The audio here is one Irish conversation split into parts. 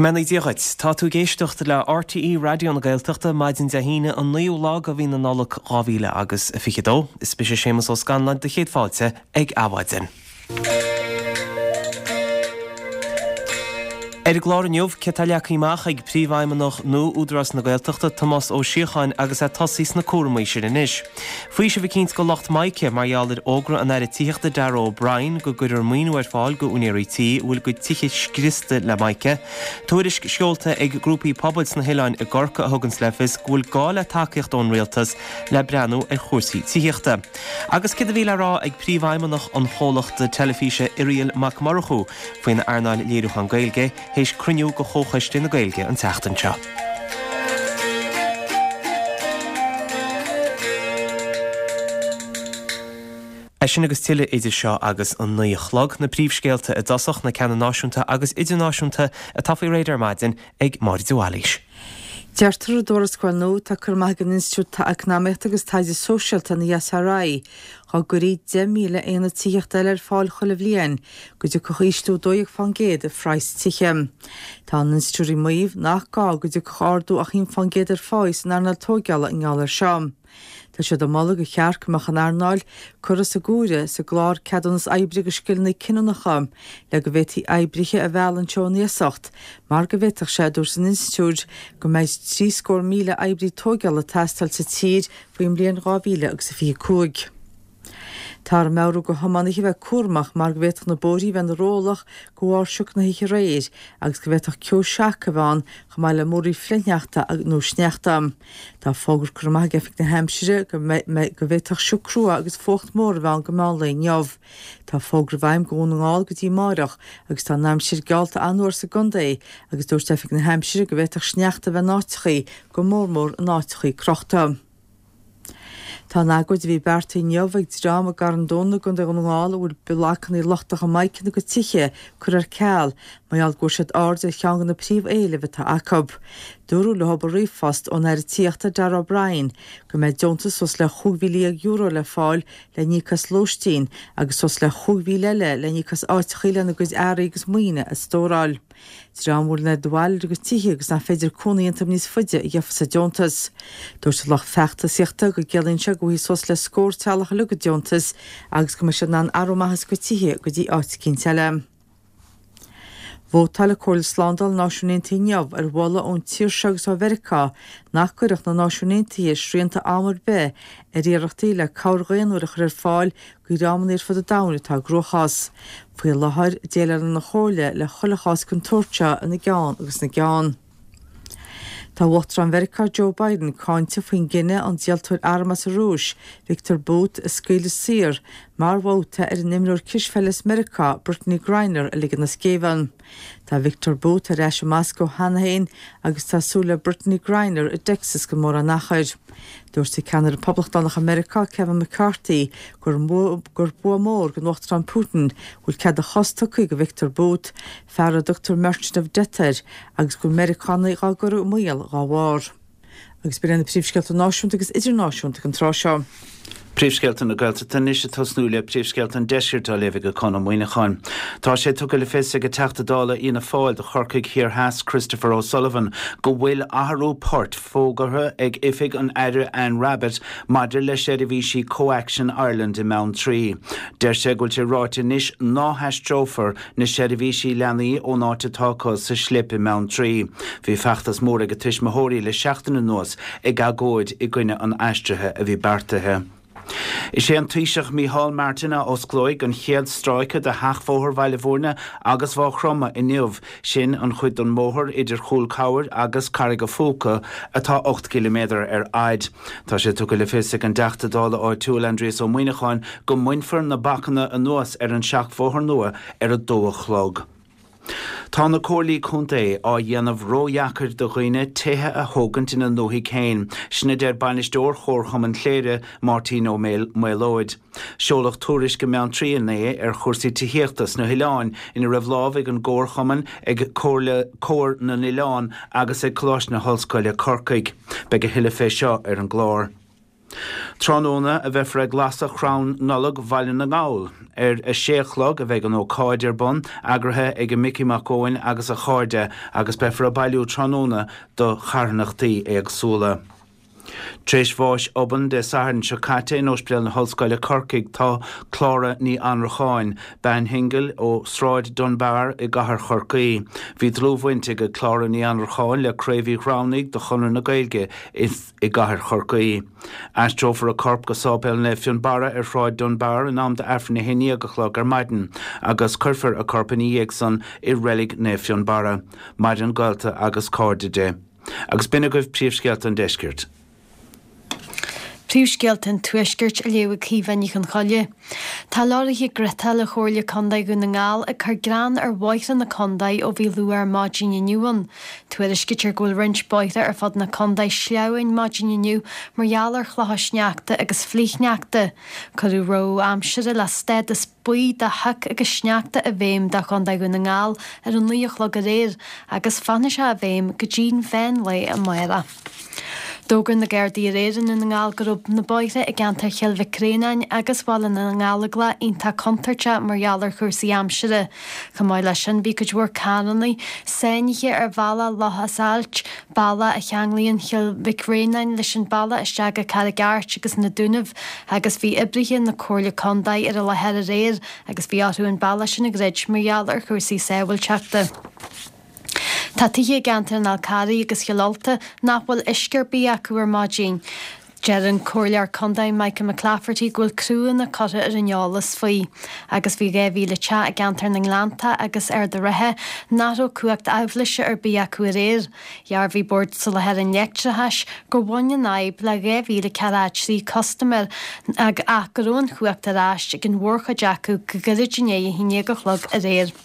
Go mbeannaí Dia dhuit. Tá tú ag éisteacht le RTÉ Raidió na Gaeltachta, maidin Dé hAoine an 9ú lá de mhí na Nollag 2022. Is mise Séamus Ó Scanláin do chéad fáilte ag Adhmhaidin. Ar an gclár inniu, céard atá leagtha amach ag Príomhfheidhmeannach nua Údarás na Gaeltachta, Tomás Ó Síocháin agus é ag tosaí sna cúramaí sin anois. Faoiseamh eicínt do lucht mica mar gheall ar fhógra an Aire Tithíochta Darragh O'Brien go gcuirfear maoiniú ar fáil go úinéirí tí a bhfuil a gcuid tithe scriosta le mica. Tuairisc seolta ag grúpaí pobail sna hoileáin i gCorcaigh a thuganns le fios go bhfuil gá le tacaíocht ón rialtas le breathnú ar chúrsaí tithíochta. Agus céard a bhí le rá ag Príomhfheidhmeannach an chomhlachta teilifíse Irial Mac Murchú faoin earnáil léiriúchán Gaeilge théis cruinniú de Chomhchoiste na Gaeilge an tseachtain seo. É sin agus tuilleadh idir seo agus an 9 a chlog, na príomhscéalta i dtosach, na ceanna náisiúnta agus idirnáisiúnta atá faoi réir ar maidin ag Máire de Bhailís. Deirtear i dtuarascáil nua atá curtha amach ag an Institiúid Eacnamaíochta agus Taighde Sóisialta, an ESRI, dá gcuirfí 10,000 aonad tithíochta eile ar fáil chuile bhliain, go dtiocfadh ísliú 12% ar phraghas tithe. Tá an institiúid ag maíomh nach gá go dtiocfadh ardú ach 1% ar pháí san earnáil tóigeála i ngeall air seo. Tá siad ag moladh gur cheart go mbeadh an earnáil curtha sa gcomhaireamh sa gclár Ceadúnas Oibre do Scileanna Cinniúnacha le go bhféadfaí oibrithe a mhealladh anseo ón iasacht mar go bhféadfadh sé, a dúirt an institiúid, go mbeidh 73,000 oibrí tóigeála ag teastáil sa tír faoin mbliain 2025. Táthar ag meabhrú do thiománaithe a bheith cúramach mar go bhféadfadh na bóithrí a bheith ina rollach de bharr sioc na hoíche aréir agus go bhféadfadh ceo seaca a bheith ann chomh maith le múraíl flichshneachta nó sneachta. Tá fógra curtha amach ag Oifig na hAimsire go go bhféadfadh sioc crua agus fuacht mór a bheith ann go meán lae inniu. Tá fógra i bhfeidhm do Dhún na nGall go dtí amáireach agus tá an aimsir geallta an-fhuar sa gcontae agus dúirt Oifig na hAimsire go bhféadfadh sneachta a bheith in áiteachaí, go mór mór in áiteachaí crochta. Tá an agóid a bhí beartaithe inniu ag dream i gCarn Domhnach i gContae Dhún na nGall a bhfuil blocanna lochtacha mica ina gcuid tithe curtha ar ceal mar gheall go bhfuair siad aird ar cheann de na príomh-éilimh atá acu. Dúradh leo i ríomhphost ón Aire Tithíochta Darragh O'Brien go mbeidh deontas suas le €15,000 le fáil le n-íoc as lóistín agus suas le 5,000 eile le n-íoc as áiteachaí lena gcuid earraí agus maoine a stóráil. Dream a bhfuil an oiread bail ar a gcuid tithe agus nach féidir cónaí iontu níos faide a gheofas an deontas. Dúirt an lucht feachtasaíochta go gciallaíonn sé go bhfaighidh suas le scór teaghlach uilig an deontas agus go mbeidh siad in ann athrú amach as a gcuid tithe go dtí áit eicínt eile. Vótáil Comhairle Slándála na Náisiún Aontaithe inniu ar mholadh ón tír seo agus ó Mheiriceá nach gcuirfeadh na Náisiúin Aontaithe srianta am ar bith ar iarrachtaí le cabhair dhaonnúil a chur ar fáil do dhreamanna ar fud an domhain atá i gcruachás. Faoi láthair, déileálann an Chomhairle le chuile chás den tsórt seo ina gceann agus ina gceann. Tá Uachtarán Mheiriceá Joe Biden cáinte faoin gcinneadh an díoltóir arm as an Rúis, Viktor Bout, a scaoileadh saor mar bhabhta ar an imreoir cispheile as Meiriceá, Brittney Griner, a ligean as géibheann. Tá Viktor Bout ar ais i Moscó cheana féin agus tá súil le Brittney Griner i dTexas gan mórán achair. Dúirt ceannaire Poblachtánach i Meiriceá, Kevin McCarthy, gur gur bua mór don Uachtarán Putin go bhfuil cead a chos tugtha do Viktor Bout, fear a dtugtar Merchant of Death air, agus go bhfuil Meiriceánaigh dhá gcur i mbaol dhá bharr. Agus b'in iad na príomhscéalta náisiúnta agus idirnáisiúnta ag an tráth seo. Príomhscéalta na Gaeltachta anois ag tosnú le príomhscéalta an Deiscirt á léamh ag Conn Ó Muíneacháin. Tá sé tugtha le fios ag an Teachta Dála Fhianna Fáil do Chorcaigh Thiar Theas Christopher O'Sullivan go bhfuil athrú poirt fógartha ag oifig an Aire Anne Rabbitte maidir le seirbhísí CoAction Ireland i mBeanntraí. Deir sé go bhfuil sé ráite anois ná haistreofar na seirbhísí leanaí ón áit atá acu sa Scléip i mBeanntraí. Bhí feachtas mór ag tuismitheoirí le seachtain anuas ag agóid i gcoinne an aistrithe a bhí beartaithe. Is é an Taoiseach Micheál Martin a osclóidh an chéad stráice de sheachbhóthar Bhaile Bhúirne agus Mhaigh Chromtha inniu, sin an chuid den mbóthar idir Chúl Camhair agus Carraig a' Phúca atá 8 gciliméadar ar fhaid. Tá sé tugtha le fios ag an dTeachta Dála áitiúil Aindrias Ó Muíneacháin go mbainfear na bacanna anuas ar an seachbhóthar nua ar a dó a chlog. Tá na Comhairlí Contae á dhéanamh ródheacair do dhaoine tithe a thógaint ina ndúthaigh féin, sin a deir bainisteoir Chomharchumann Chléire, Máirtín Ó Maolóid. Seoladh tuairisc i mBeanntraí inné ar chúrsaí tithíochta sna hoileáin ina raibh lámh ag an gComharchumann, ag Comhairle Comhar na nOileán agus ag Coláiste na hOllscoile, Corcaigh. Beidh a thuilleadh fé seo ar an gclár. Tráthnóna a bheifear ag lasadh Chrann Nollag Bhaile na nGall. Ar a sé a chlog a bheidh an ócáid ar bun, eagraithe ag Micí Mac Eoin agus a chairde, agus beifear ag bailiú tráthnóna do charthanachtaí éagsúla. Tar éis bháis obann Dé Sathairn seo caite in Ospidéal na hOllscoile Corcaigh tá Clára Ní Annracháin, bean shingil ó Sráid Dunbar i gcathair Chorcaí. Bhí dlúthbhaint ag Clára Ní Annracháin le Craobh Uí Ghramhnaigh de Chonradh na Gaeilge i gcathair Chorcaí. Aistreofar a corp go Sáipéal Naomh Fionnbarra ar Shráid Dunbar in am d'Aifreann 11 a chlog ar maidin agus cuirfear a corp ina dhiaidh san i Reilig Naomh Fionnbarra. Maireann gaolta agus cairde di. Agus b'in agaibh príomhscéalta an deiscirt. Príomhscéalta an Tuaiscirt á léamh ag Caoimhe Ní Chonchoille. Tá leoraithe ghriotála Chomhairle Contae Dhún na nGall ag cur grean ar bhóithre na contae ó bhí luath ar maidin inniu ann. Tuairiscítear go bhfuil roinnt bóithre ar fud na contae sleamhain maidin inniu mar gheall ar chlocha sneachta agus flichshneachta. Cuireadh rabhadh aimsire le stádas buí de shioc agus sneachta i bhfeidhm do Chontae Dhún na nGall ar a 9 a chlog aréir agus fanfaidh sé i bhfeidhm go dtí'n mheán lae amárach. D'fhógair na Gardaí aréir i nDún na nGall go raibh na bóithre i gceantar Chill Mhic Réanáin agus Bhaile na nGallóglach iontach contúirteach mar gheall ar chúrsaí aimsire. Chomh maith leis sin bhí cuid mhór carranna sáinnithe ar bhealach Loch Ailt, bealach a cheanglaíonn Cill Mhic Réanáin leis an bealach isteach go Carraig Airt agus na Dúnaibh agus bhí oibrithe na Comhairle Contae ar an láthair aréir agus bhí orthu an bealach sin a dhruid mar gheall ar chúrsaí sábháilteachta. Tá tithe i gceantar an Fhál Carraigh agus Chill Ulta nach bhfuil uisce ar bith acu ar maidin. Deir an Comhairleoir Contae Michael McClafferty go bhfuil criúnna curtha ar an eolas faoi agus bhí 2,000 teach i gceantar na nGleannta agus Ard an Rátha nach raibh cumhacht aibhléise ar bith acu aréir. Dhearbhaigh Bord Soláthair an Leictreachais gur bhain an fhadhb le 2,043 custaiméir ach go raibh an chumhacht ar ais ag an mhórchuid acu go gairid i ndiaidh 11 a chlog aréir.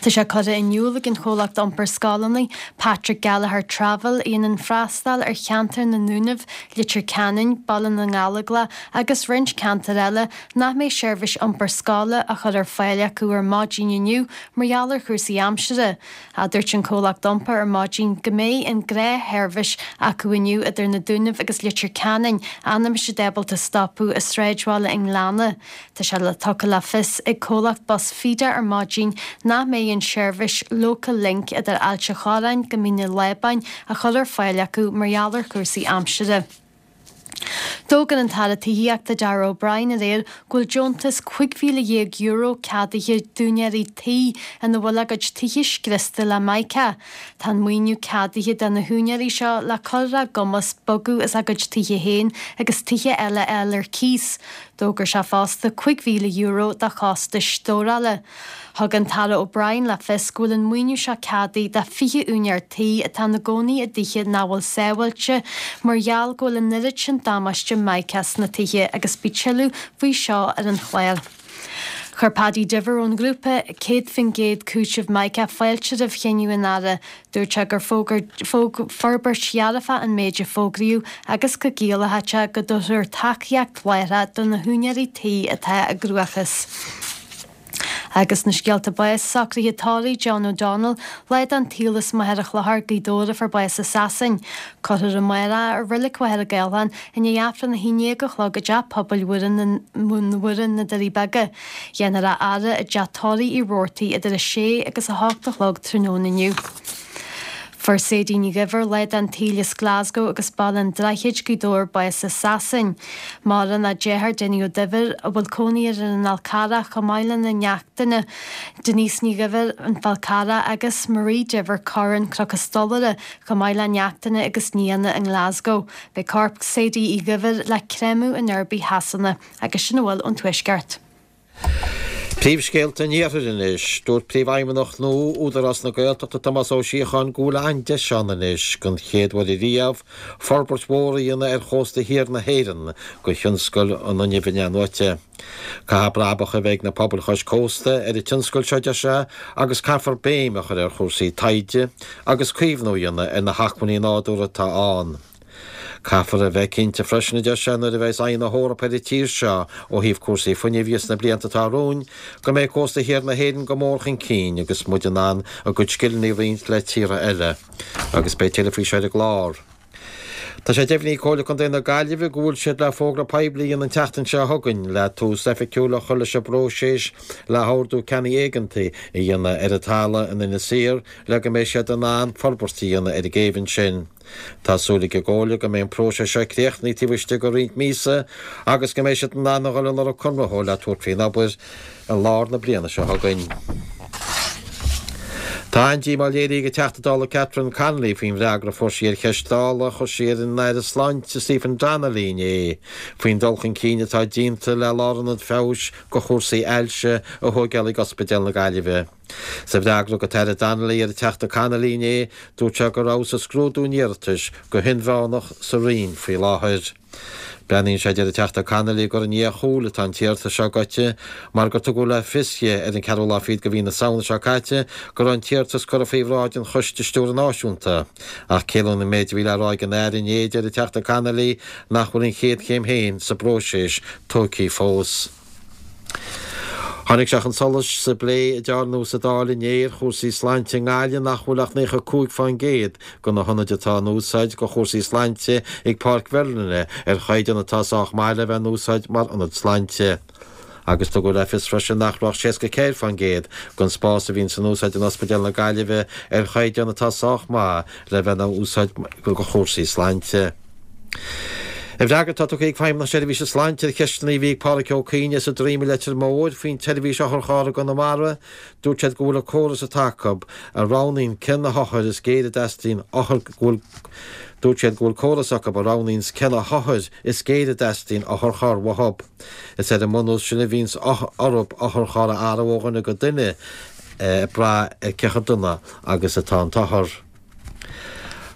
Tá sé curtha in iúl ag an chomhlacht iompair scoileanna, Patrick Gallagher Travel, a dhéanann freastal ar cheantar na nDúnaibh, Leitir Ceanainn, Baile na nGallóglach agus roinnt ceantar eile, nach mbeidh seirbhís iompair scoile á chur ar fáil acu ar maidin inniu mar gheall ar chúrsaí aimsire. Dúirt an comhlacht iompair ar maidin go mbeidh an gnáthsheirbhís acu inniu idir na Dúnaibh agus Leitir Ceanainn ach nach mbeidh siad ábalta stopadh i sráidbhaile an Ghleanna. Tá sé le tugtha le fios ag comhlacht bus Feeder ar maidin nach mbeidh an seirbhís Local Link idir Ailt a' Chorráin go Mín an Lábáin á chur ar fáil acu mar gheall ar chúrsaí aimsire. D'fhógair an tAire Tithíochta Darragh O'Brien aréir go bhfuil deontas €15,000 ceadaithe d'úinéirí tí ina bhfuil a gcuid tithe scriosta le mica. Tá an maoiniú ceadaithe do na húinéirí seo le cur ar a gcumas bogadh as a gcuid tithe féin agus tithe eile a fháil ar cíos. D'fhógair sé fosta €5,000 do chostais stórála. Thug an tAire O'Brien le fios go bhfuil an maoiniú seo ceadaithe do 20 úinéir tí atá ina gcónaí i dtithe nach bhfuil sábháilte mar gheall go bhfuil an oiread sin damáiste mica sna tithe agus beidh tuilleadh faoi seo ar an chlár. Chuir Paddy Diver ón ghrúpa 100% Cúiteamh Mica fáilte roimh chinneadh an Aire. Dúirt sé gur forbairt dhearfach an méid a fógraíodh agus go gciallódh sé go dtabharfar tacaíocht láithreach do na húinéirí tí atá i gcruachás. Agus na scéalta báis, socruithe tórraimh John O'Donnell, lá den tsaol as Machaire Chlochair, Gaoth Dobhair a fuair bás i Sasain. Cuirfear amárach i Reilig Mhachaire Gathlán i ndiaidh Aifreann 11 a chlog i dTeach Pobail Mhuire, na Doirí Beaga. Dhéanfar a fhaire i dTeach Tórraimh Uí Robhartaigh idir 6 agus 8 a chlog tráthnóna inniu. Fuair Sadie Ní Dhuibhir, lá den tsaol as Glasgow agus Baile an Droichid, Gaoth Dobhair, bás i Sasain. Maireann a deartháir Dinny Ó Duibhir, a bhfuil cónaí air ar an Fhál Carrach, chomh maith lena neachtanna, Denise Ní Dhuibhir, An Fál Carrach, agus Marie Diver Curran, Cnoc an Stolaire, chomh maith le neachtanna agus nianna i nGlasgow. Beidh corp Sadie Uí Dhuibhir le créamadh in Derby Shasana. Agus sin a bhfuil ón Tuaisceart. Príomhscéalta an Iarthair anois. Dúirt Príomhfheidhmeannach nua Údarás na Gaeltachta Tomás Ó Síocháin go bhfuil an-deis ann anois, den chéad uair ariamh, forbairt mhór a dhéanamh ar chósta thiar na hÉireann do thionscal an fhuinnimh in-athnuaite. Caithfidh brabach a bheith ag na pobail chois cósta ar an tionscal seo, deir sé, agus caithfear béim a chur ar chúrsaí taighde agus caomhnú a dhéanamh ar na hacmhainní nádúrtha atá ann. Caithfear a bheith cinnte freisin, a deir sé, nuair a bheas aghaidh na hEorpa ar an tír seo ó thaobh cúrsaí fuinnimh dhe sna blianta atá romhainn, go mbeidh cósta thiar na hÉireann go mór chun cinn agus muid in ann a gcuid scileanna a roinnt le tíortha eile. Agus beidh tuilleadh faoi seo ar an gclár. Tá sé deimhnithe ag Comhairle Contae na Gaillimhe go bhfuil siad le fógra poiblí a dhéanamh an tseachtain seo chugainn le tús oifigiúil a chur leis an bpróiseas le hordú ceannaigh éigeantaigh a dhéanamh ar an talamh in Inis Oírr le go mbeidh siad in ann forbairt a dhéanamh ar an gcéibh ansin. Tá súil ag an gComhairle go mbeidh an próiseas seo críochnaithe taobh istigh de roinnt míosa agus go mbeidh siad in ann a dhul ag lorg conraitheoir le tabhairt faoin obair i lár na bliana seo chugainn. Tá an-díomá léirithe ag an Teachta Dála Catherine Connolly faoin bhfreagra a fuair sí ar cheist Dála a chuir sí ar an Aire Sláinte Stephen Donnelly inné faoin dul chun cinn atá déanta le lárionad feabhais do chúrsaí ailse a thóigeáil ag Ospidéal na Gaillimhe. Sa bhfreagra a thug an tAire Donnelly ar an Teachta Connolly inné, dúirt sé go rabhthas ag scrúdú an iarratais go hinmheánach sa Roinn faoi láthair. Breathnaíonn sé, a deir an Teachta Connolly, gur i ndiaidh a chúil atá an t-iarratas seo gaibhte mar gur tugadh le fios di ar an ceathrú lá fichead de mhí na Samhna seo caite go raibh an t-iarratas curtha faoi bhráid an Choiste Stiúrtha Náisiúnta. Ach ciallaíonn an méid a bhí le rá ag an Aire inné, a deir an Teachta Connolly, nach bhfuil an chéad chéim féin sa bpróiseas tógtha fós. Tháinig sé chun solais sa bplé a dearnadh sa Dáil inné ar chúrsaí sláinte i nGaillimh nach bhfuil ach 95% de na hionaid atá in úsáid do chúrsaí sláinte ag Páirc Mherlyn ar chaighdeán atá sách maith le bheith in úsáid mar ionad sláinte. Agus tugadh le fios freisin nach raibh ach 64% den spás a bhíonn in úsáid in Ospidéal na Gaillimhe ar chaighdeán atá sách maith le bheith in úsáid do chúrsaí sláinte. I bhfreagra atá tugtha ag Feidhmeannacht na Seirbhíse Sláinte ar cheisteanna a bhí ag Pádraig Ó Cuinn as an Droim i Leitir Móir faoin tseirbhís otharcharr i gConamara, dúirt siad go bhfuil an córas atá acu a roghnaíonn cé na hothair is géire a dteastaíonn othar go bhfuil Dúirt siad go bhfuil córas acu a roghnaíonns cé na hothair is géire a dteastaíonn otharcharr uathu. Is ar an mbunús sin a bhíonns orthu otharcharr a athrú ó dhuine go duine ag brath ar cé chomh dona agus atá an t-othar.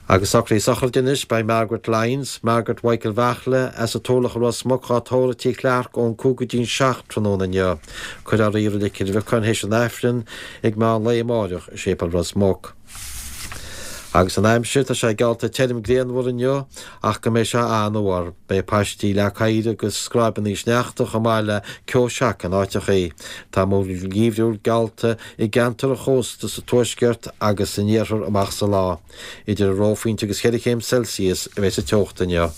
Agus socruithe sochraide anois, beidh Margaret Lyons, Margaret Mhichael Bheartla, as an Turlach i Ros Muc dhá tórramh i Tigh Chlarke ón 5 go dtí'n 7 tráthnóna inniu. Cuirfear í i Reilig Chill Bheacáin théis an Aifrinn ag meán lae amáireach i Séipéal Ros Muc. Agus an aimsir, tá sé geallta tirim grianmhar inniu ach go mbeidh sé an-fhuar. Beidh paistí leac oighir agus scráibeanna sneachta chomh maith le ceo seaca in áiteachaí. Tá múraíl gheimhriúil geallta i gceantar an chósta sa tuaisceart agus san iarthar amach sa lá. Idir an reophointe agus cheithre chéim Celsius a bheidh sa teocht inniu.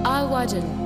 Adhmhaidin.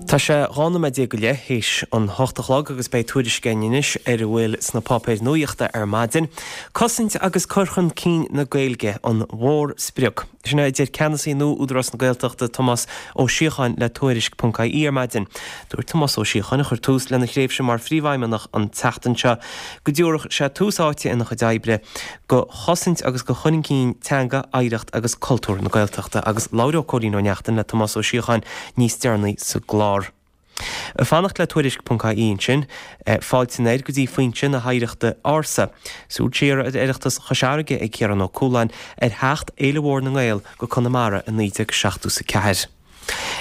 Tá sé 12 nóiméad go leith théis an hocht a chlog agus beidh tuairisc againn anois ar a bhfuil sna páipéir nuachta ar maidin. Cosaint agus cur chun cinn na Gaeilge an mhór-sprioc. Sin é a deir ceannasaí nua Údarás na Gaeltachta, Tomás Ó Síocháin le Tuairisc.ie ar maidin. Dúirt Tomás Ó Síocháin, a chuir tús lena thréimhse mar phríomhfheidhmeannach an tseachtain seo, go dtabharfadh sé tús áite ina chuid oibre go chosaint agus go chur chun cinn teanga, oidhreacht agus cultúr na Gaeltachta agus labhróidh Cóilín Ó Neachtain le Tomás Ó Síocháin níos deireanaí sa gclár. Ag fanacht le Tuairisc.ie ansin, fáilte anoir go dtí foinse na hoidhreachta ársa. Súil siar ar Oireachtas Chois Fharraige ag Ciarán Ó Cualáin ar theacht Fhéile Mhór na nGael go Conamara i 1974.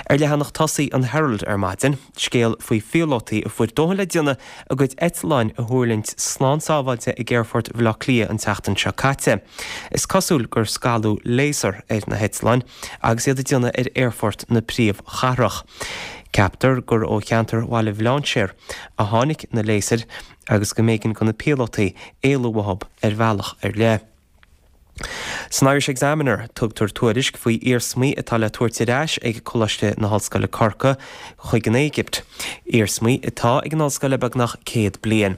Ar leathanach tosaigh an Herald ar maidin, scéal faoi phíolótaí a fuair dóthain le déanamh a gcuid eitleáin a thuirlingt slán sábháilte ag aerfort Bhaile Átha Cliath an tseachtain seo caite. Is cosúil gur scalladh léasar ar na heitleáin agus iad ag déanamh ar aerfort na príomhchathrach. Ceaptar gur ó cheantar Bhaile Bhlainséir a tháinig na léasair agus go mb'éigean do na píolótaí éalú uathu ar bhealach ar leith. San Irish Examiner, tugtar tuairisc faoi iarsmaí atá le tabhairt ar ais ag Coláiste na hOllscoile Corcaigh chuig an Éigipt, iarsmaí atá ag an ollscoil le beagnach 100 bliain.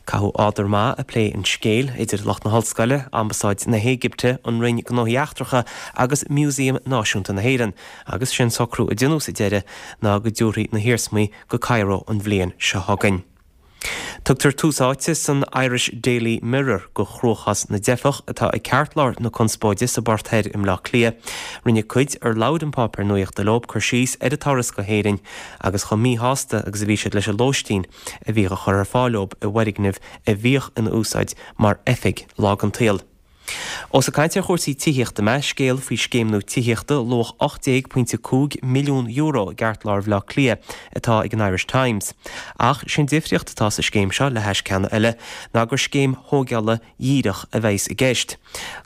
Caitheadh ádar maith ag plé an scéil idir lucht na hollscoile, Ambasáid na hÉigipte, an Roinn Gnóthaí Eachtracha agus Músaem Náisiúnta na hÉireann, agus sé'n socrú a deineadh sa deireadh ná go dtabharfaí na hiarsmaí go Cairo an bhliain seo chugainn. Tugtar tús áite san Irish Daily Mirror go chruachás na dteifeach atá ag ceartlár na conspóide sa bPort Thoir i mBleá Cliath. Rinne cuid ar labhair an páipéar nuachta leo cur síos ar a dturas go hÉirinn agus chomh míshásta agus a bhí siad leis an lóistín a bhíodh á chur ar fáil leo i bhfoirgneamh a bhíodh ina úsáid mar oifig lá den tsaol. Ós ag caint ar chúrsaí tithíochta mé, scéal faoi scéim nua tithíochta luach €18.5 milliún i gceartlár Bhaile Átha Cliath atá ag an Irish Times. Ach sé'n difríocht atá sa scéim seo le hais ceanna eile ná gur scéim thóigeála dhíreach a bheas i gceist.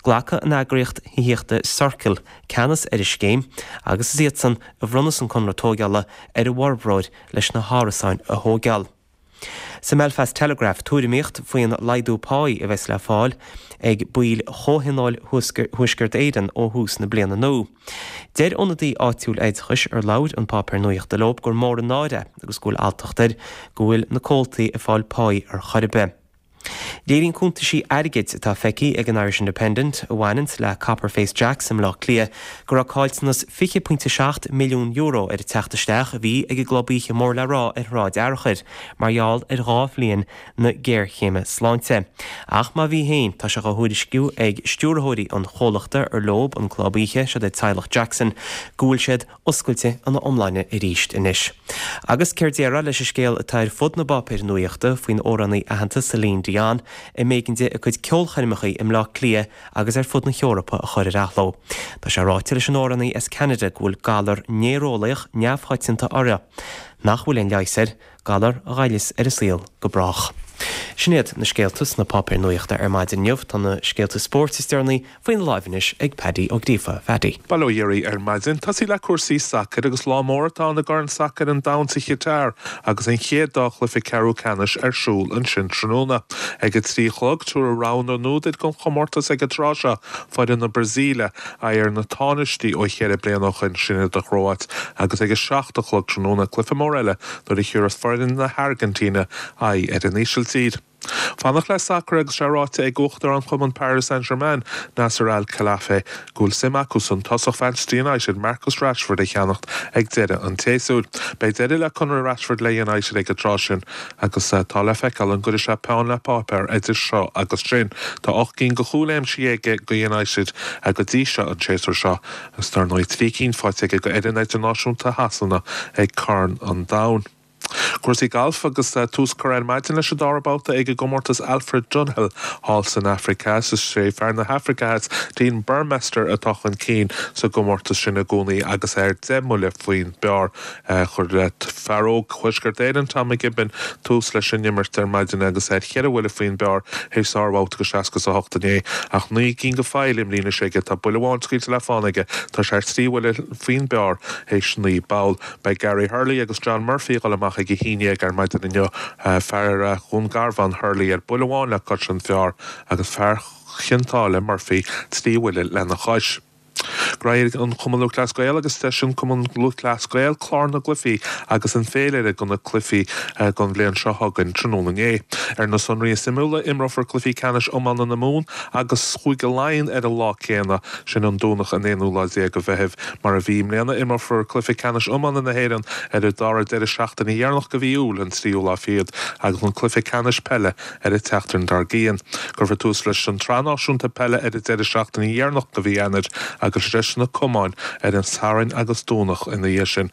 Glacfaidh an eagraíocht thithíochta Circle ceannas ar an scéim agus is iadsan a bhronnfas an conradh tóigeála ar an bhforbróir leis na hárasáin a thóigeáil. Sa mBelfast Telegraph, tuairimíocht faoin laghdú páí a bheas le fáil ag baill Chomhthionól Thuaisceart Éireann ó thús na bliana nua. Deir ionadaí áitiúil oideachais ar labhair an páipéar nuachta leo gur mór an náire é agus go bhfuil alltacht air go bhfuil na comhaltaí ag fáil páí ar chor ar bith. Léiríonn cuntaisí airgid atá feicthe ag an Irish Independent a bhaineanns le Copper Face Jacks i mBleá Cliath go raibh caillteanas €20.7 milliún ar an teacht isteach a bhí ag an gclub oíche mór le rá ar Shráid Fhearchair mar gheall ar dhá bhliain na géarchéime sláinte. Ach má bhí féin, tá sé dhá thuairisciú ag stiúrthóirí an chomhlachta ar leob an club oíche, siod é teaghlach Jackson, go bhfuil siad oscailte ina iomláine arís anois. Agus céard déarfá leis an scéal atá ar fud na bpáipéar nuachta faoin amhránaí aitheanta Celine Dion a mb'éigean di a cuid ceolchoirmeacha i mBleá Cliath agus ar fud na hEorpa a chur ar athló. Tá sé ráite leis an amhránaí as Ceanada go bhfuil galar néareolaíoch neamhchoitianta uirthi, nach bhfuil aon leigheas air, galar a ghoilleas ar a saol go brách. Sin iad na scéalta sna páipéir nuachta ar maidin inniu. Tá na scéalta spóirt is deireanaí Faoina láimh anois ag Paddy Ó Gríofa. Phaddy. Bail ó Dhia oraibh ar maidin. Tosaí le cúrsaí sacair agus lá mór atá ann i gCorn Sacair an Domhain sa Chatar agus an chéad dá chluiche ceathrú ceannais ar siúl ansin tráthnóna. Ag a 3 a chlog, tabharfaidh rogha na n-údar don chomórtas ag an tráth seo, foireann na Brasaíle, aghaidh ar na tánaistí ó cheithre bliana ó shoin, sin iad an Chróit, agus ag a 7 a chlog tráthnóna, cluiche mór eile nuair a thiúrfas foireann na hAirgintíne aghaidh ar an Ísiltír. Fanacht le sacar agus sé ráite ag Uachtarán Chumann Paris Saint-Germain, Nasser Al-Khelaifi, go bhfuil suim acusan tosach Mhanchester United, Marcus Rashford a cheannacht ag deireadh an tséasúir. Beidh deireadh le conradh Rashford le United ag an tráth sin agus tá le feiceáil an gcuirfidh sé peann le páipéar idir seo agus sin. Tá 8 gcinn de chúil aimsithe aige do United go dtí seo an séasúr seo agus dar ndóigh 3 cinn faighte aige do fhoireann idirnáisiúnta Shasana ag Corn an Domhain. Cúrsaí gailf agus tús curtha ar maidin leis an dara babhta ag an gcomórtas Alfred Dunhill thall san Afraic Theas. Is é fear na hAfraice Theas, Dean Burmester atá chun cinn sa gcomórtas sin i gcónaí agus é ar 10 mbuille faoin bpar. Chuir fear óg Thuaisceart Éireann, Tommy Gibbon, tús leis an imirt ar maidin agus é ar cheithre bhuille faoin bpar théis sárbhabhta de 68 inné. Ach 9 gcinn de phoill imrithe anois aige, tá buille amháin scaoilte le fána aige, tá sé ar thrí bhuille faoin bpar théis 9 bpoll. Beidh Gary Hurley agus John Murphy ag dul amach ag 11 ar maidin inniu. Fear Dhún Garbhán, Hurley, ar buille amháin le cois an phar agus fear Chionn tSáile, Murphy, 3 bhuille lena chois. Ghnóthaigh an Cumann Lúthchleas Gael agus d'eisigh an Cumann Lúthchleas Gael clár na gcluichí agus an féilire do na cluichí don bhliain seo chugainn tráthnóna inné. Ar na sonraí is suimiúla, imreofar cluichí ceannais iomána na Mumhan agus Chúige Laighean ar an lá céanna, sin an Domhnach an aonú lá déag de Mheitheamh. Mar a bhí i mbliana, imreofar cluiche ceannais iomána na hÉireann ar an dara deireadh seachtaine dheireanach de mhí Iúil, an tríú lá fichead, agus an cluiche ceannais peile ar an tseachtain dár gcionn. Cuirfear tús leis an tSraith Náisiúnta Peile ar an deireadh seachtaine dheireanach de mhí Eanáir agus leis na camáin ar an Satharn agus Domhnach ina dhiaidh sin.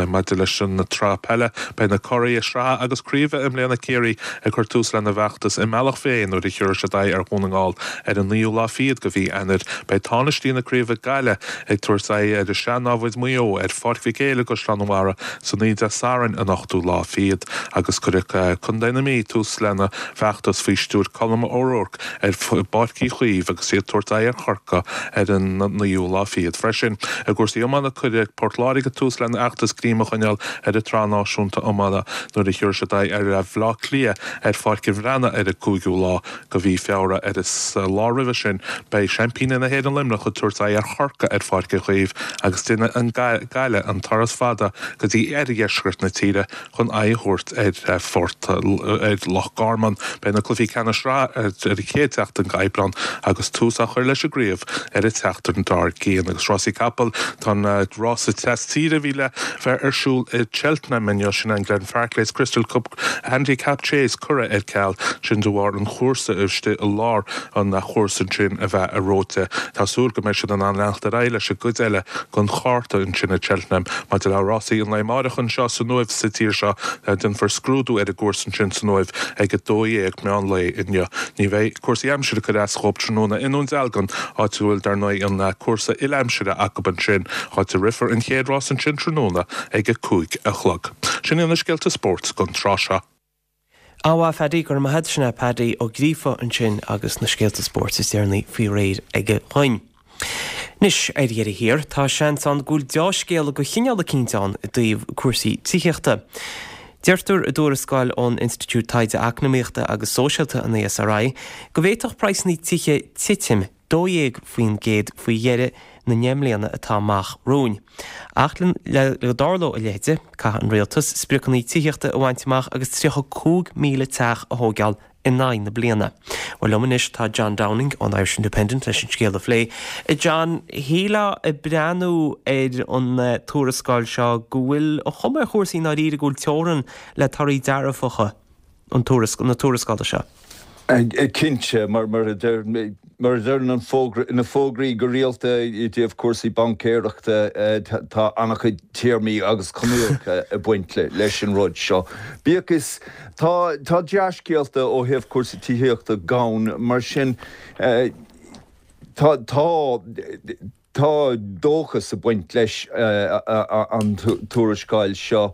Maidir leis an tsraith peile, beidh na curaidh sraithe agus craoibhe i mbliana, Ciarraí, ag cur tús lena bhfeachtas i mBealach Féich nuair a thiúrfaidh siad aghaidh ar Dhún na nGall ar an naoú lá fichead de mhí Eanáir. Beidh tánaistí na craoibhe Gaillimh ag tabhairt aghaidh ar a sean-námhaid Maigh Eo ar Pháirc Mhic Éil i gCaisleán an Bharraigh san oíche Dé Sathairn an ochtú lá fichead agus cuirfidh Contae na Mí tús lena bhfeachtas faoi stiúir Colm O'Rourke ar Pháirc Uí Chaoimh agus iad ag tabhairt aghaidh ar Chorcaigh ar an naoú lá fichead freisin. I gcúrsaí iomána cuirfidh Port Láirge tús lena bhfeachtas greim a choinneáil ar an tSraith Náisiúnta Iomána nuair a thiúrfaidh siad aghaidh ar Bhaile Átha Cliath ar Pháirc an Bhreathnaigh ar an gcúigiú lá de mhí Feabhra. Ar an lá roimhe sin, beidh seaimpíní na hÉireann Luimneach ag tabhairt aghaidh ar Chorcaigh ar Pháirc Uí Chaoimh agus déanfaidh an Gaillimh an turas fada go dtí oirdheisceart na tíre chun aghaidh a thabhairt ar Phort ar Loch Garman. Beidh na cluichí ceannais sraithe ar an chéad tseachtain d'Aibreán agus tús á chur leis an gcraobh ar an tseachtain dár. gcian. Agus rásaí capall, tá an rása tras tíre a bhí le bheith ar siúl i Cheltenham inniu, sin an Glenfarclas Crystal Cup Handicap Chase, curtha ar ceal, sin de bharr an chúrsa istigh i lár an chúrsa ansin a bheith reoite. Tá súil go mbeidh siad in ann leanacht ar aghaidh leis an gcuid eile den chárta ansin i Cheltenham. Maidir le rásaí an lae amáireach anseo san Uaimh sa tír seo, déanfar scrúdú ar an gcúrsa ansin san Uaimh ag 12:00 meán lae inniu. Ní bheidh cúrsaí aimsire ag cur as dhóibh tráthnóna i nDún Dealgan, áit a bhfuil, dar ndóigh, an cúrsa uile-aimsire acu ansin, áit a rithfear an chéad rás ansin tráthnóna ag 5 a chlog. Sin iad na scéalta spóirt don tráth seo. An-mhaith, Phaddy, go raibh maith agat. Sin é Paddy Ó Gríofa ansin agus na scéalta spóirt is deireanaí faoi réir aige dhuinn. Anois, ar dheireadh thiar, tá seans ann go bhfuil deá-scéala de chineál eicínt ann i dtaobh cúrsaí tithíochta. Deirtear i dtuarascáil ón Institiúid Taighde Eacnamaíochta agus Sóisialta, an ESRI, go bhféadfadh praghsanna tithe titim 12% faoi dheireadh na ndeich mbliana atá amach romhainn. Ach le go dtarlódh a leithide, caithfidh an rialtas spriocanna tithíochta a bhaint amach agus 35,000 teach a thóigeáil in aghaidh na bliana. Bhuel, liom anois tá John Downing ón Irish Independent leis an scéal a phlé. John, shílfeá ag breathnú ar an tuarascáil seo go bhfuil an chuma ar chúrsaí i ndáiríre go bhfuil teorainn le torthaí dearfacha an na tuarascála seo. Cinnte, mar a deireann an fógra, na fógraí go rialta i dtaobh cúrsaí baincéireachta, tá an-chuid téarmaí agus coinníollacha ag baint leis an rud seo. Bíodh is, tá tá dea-scéalta ó thaobh cúrsaí tithíochta gann, mar sin tá tá Tá dóchas ag baint leis an tuarascáil seo.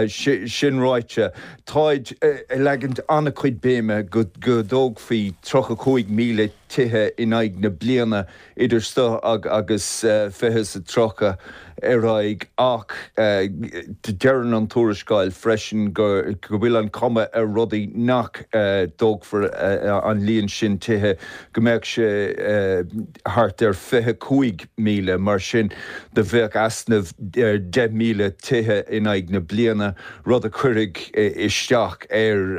Sin ráite, táid ag leagaint an-chuid béime go dtógfaí 35,000 tithe in aghaidh na bliana idir seo agus 2030 ar aghaidh ach deireann an tuarascáil freisin go bhfuil an chuma ar rudaí nach dtógfar an líon sin tithe, go mbeadh sé thart ar 25,000, mar sin do bheadh easnamh 10,000 tithe in aghaidh na bliana, rud a chuirfeadh isteach ar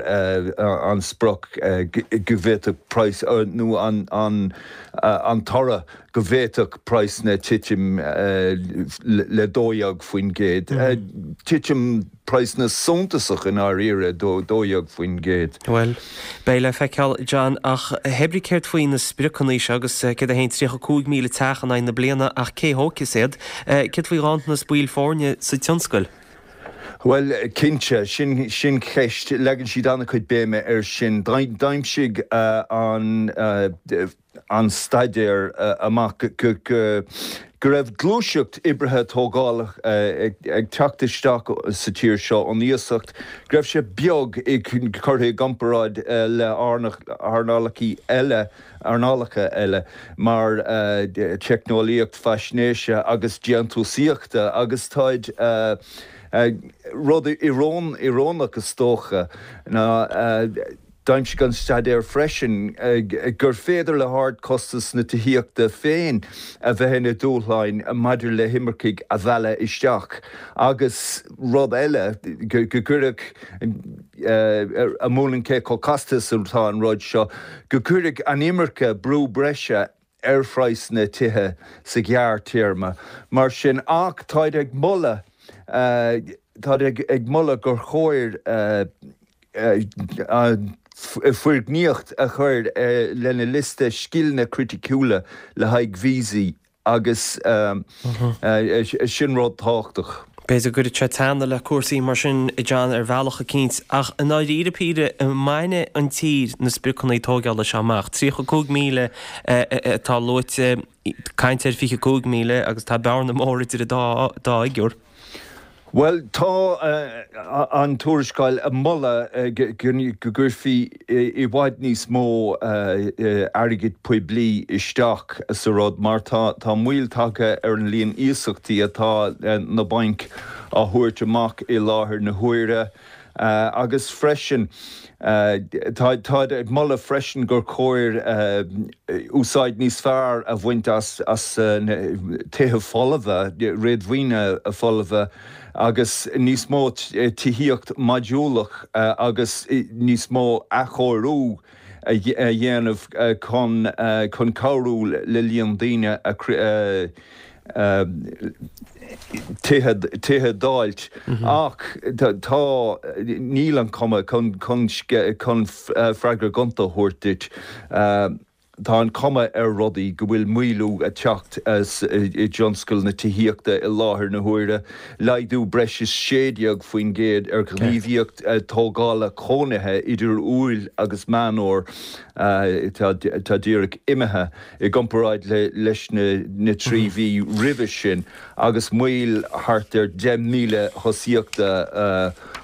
an sprioc go bhféadfadh praghas, nó an toradh go bhféadfadh praghsanna titim le 12%. Titim praghsanna suntasach i ndáiríre, 12%. Bhuel, beidh le feiceáil, John, ach hébrí céard faoi na spriocanna seo agus céard é féin, 35,000 teach in aghaidh na bliana ach cé thógfas iad? Céard faoi ghanntanas baill foirne sa tionscal? Bhuel, cinnte, sin sin ceist, leagann siad an-chuid béime air sin. D'aimsigh an. an staidéar amach go raibh gluaiseacht oibrithe tógála ag teacht isteach sa tír seo ón iasacht, go raibh sé beag curtha i gcomparáid le hearnálacha eile, earnálacha eile mar teicneolaíocht faisnéise agus déantúsaíochta agus táid rud íorónach is dócha ná D'aimsigh an staidéar freisin gur féidir le hardchostas na tithíochta féin a bheith ina dúshláin maidir le himircigh a mhealladh isteach agus rud eile, go gcuirfeadh, a mhúineann cé chomh casta is atá an rud seo, go gcuirfeadh an imirce brú breise ar phraghsanna tithe sa ghearrtéarma. Mar sin, ach táid ag moladh, táid ag moladh gur chóir an foirgníocht a chur lena liosta scileanna criticiúla le haghaidh víosaí agus sin rud tábhachtach. B'fhéidir go gcuirfeadh sé teannadh le cúrsaí mar sin, a John, ar bhealach eicínt, ach i ndáiríre píre, an mbainfidh an tír na spriocanna tóigeála seo amach? 35,000 atá luaite, caint ar 25,000 agus tá bearna mór idir an dá fhigiúr. Bhuel, tá an tuarascáil ag moladh go gcuirfí i bhfad níos mó airgid poiblí isteach sa rud mar tá moill tagtha ar an líon iasachtaí atá na bainc á thabhairt amach i láthair na huaire. Agus freisin, táid ag moladh freisin gur chóir úsáid níos fearr a bhaint as tithe folmha, réadmhaoine folmha, agus níos mó tithíocht mhodúlach agus níos mó athchóiriú. a dhéanamh chun chun cabhrú le líon daoine a tithe tithe d'fháilt ach tá níl an chuma chun chun chun freagra gonta a thabhairt duit. Tá an chuma ar rudaí go bhfuil maolú ag teacht i dtionscal na tithíochta i láthair na huaire, laghdú breis is 16% ar ghníomhaíocht tógála cónaithe idir Iúil agus Meán Fómhair atá díreach imithe i gcomparáid leis na 3 mhí roimhe sin agus moill thart ar 10,000 thosaíochta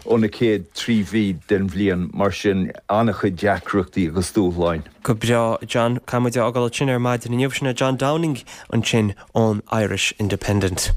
ó na chéad 3 mhí den bhliain. Mar sin, an-chuid deacrachtaí agus dúshláin. Go breá, John. Caithfidh muid é a fhágáil ansin ar maidin inniu. Sin é John Downing ansin ón Irish Independent.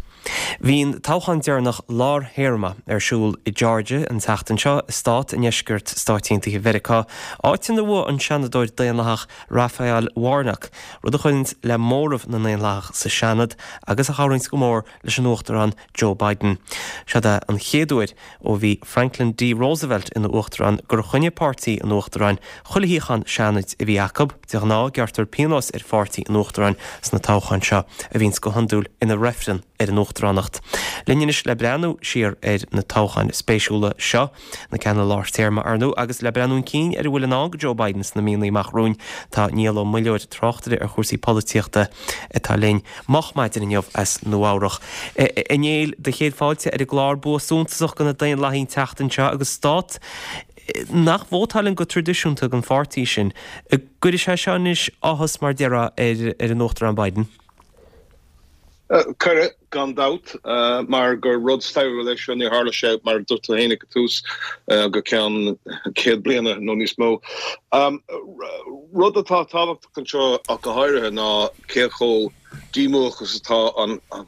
Bhí an toghchán deireanach lár-théarma ar siúl i Georgia an tseachtain seo, stát i ndeisceart Stáit Aontaithe Mheiriceá, áit inar bhuaigh an Seanadóir Daonlathach Raphael Warnock, rud a chuireanns le móramh na nDaonlathach sa Seanad agus a chabhraíonns go mór leis an Uachtarán Joe Biden. Seod é an chéad uair ó bhí Franklin D. Roosevelt ina uachtarán gur choinnigh páirtí an uachtaráin chuile shuíochán Seanaid a bhí acu. De ghnáth, gearrtar pionós ar pháirtí an uachtaráin sna toghcháin seo, a bhíonns go hiondúil ina reifreann ar an uachtaránacht. Linn anois le breathnú siar ar na toghcháin spéisiúla seo, na ceanna lár téarma, ar ndóigh, agus le breathnú chun cinn ar a bhfuil i ndán do Joe Biden sna míonna amach romhainn, tá Niall Ó Muilleoir, tráchtaire ar chúrsaí polaitíochta, atá linn moch maidin inniu as Nua Eabhrach. A Néill, do chéad fáilte ar an gclár. Bua suntasach do na Daonlathaigh an tseachtain seo agus stát nach vótáileann go traidisiúnta don pháirtí sin. An gcuirfidh sé seo anois áthas, mar déarfá, ar an Uachtarán Biden? Cuirfidh, gan dabht, mar gur rud stairiúil é seo, níor tharla sé, mar a dúirt tú féin ag an tús, go ceann 100 bliana nó níos mó. Rud atá tábhachtach anseo ach go háirithe ná cé chomh díomúch is atá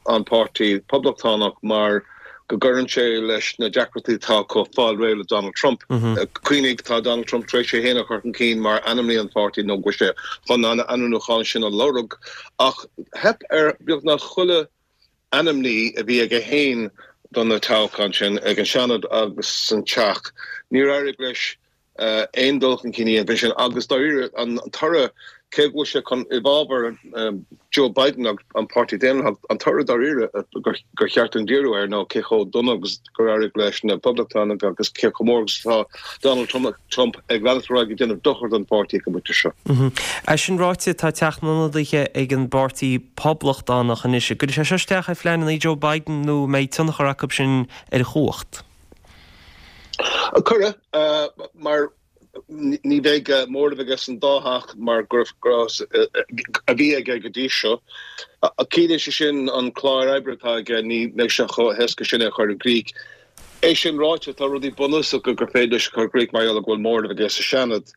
an páirtí Poblachtánach mar go gcuireann sé leis na deacrachtaí atá acu fáil réidh le Donald Trump. Cuimhnigh, tá Donald Trump tar éis é féin a chur chun cinn mar ainmní an pháirtí nó go bhfuil sé chun an ainmniúchán sin a lorg ach theip ar beagnach chuile ainmní a bhí aige féin do na toghcháin sin ag an Seanad agus san Teach. Níor éirigh leis aon dul chun cinn a dhéanamh ansin agus dáiríre an toradh, cé go bhfuil sé chun i bhfabhar Joe Biden agus an Páirtí Daonlathach, an toradh dáiríre gur cheart dúinn díriú air ná cé chomh dona agus gur éirigh leis na Poblachtánaigh agus cé chomh mór agus atá Donald Trump ag leanacht ar aghaidh ag déanamh dochar don pháirtí ag an bpointe seo. É sin ráite, tá Teach na nIonadaithe ag an bPáirtí Poblachtánach anois. An gcuirfidh sé seo isteach ar phleananna Joe Biden nó an mbeidh tionchar acu sin ar a chumhacht? Cuirfidh, mar ní bheidh móramh aige san dá theach mar go raibh a bhí aige go dtí seo. Ciallaíonn sé sin an clár oibre atá aige, ní bheidh sé chomh héasca sin é a chur i gcrích. É sin ráite, tá rudaí bunúsacha gur féidir leis a chur i gcrích mar gheall go bhfuil móramh aige sa Seanad.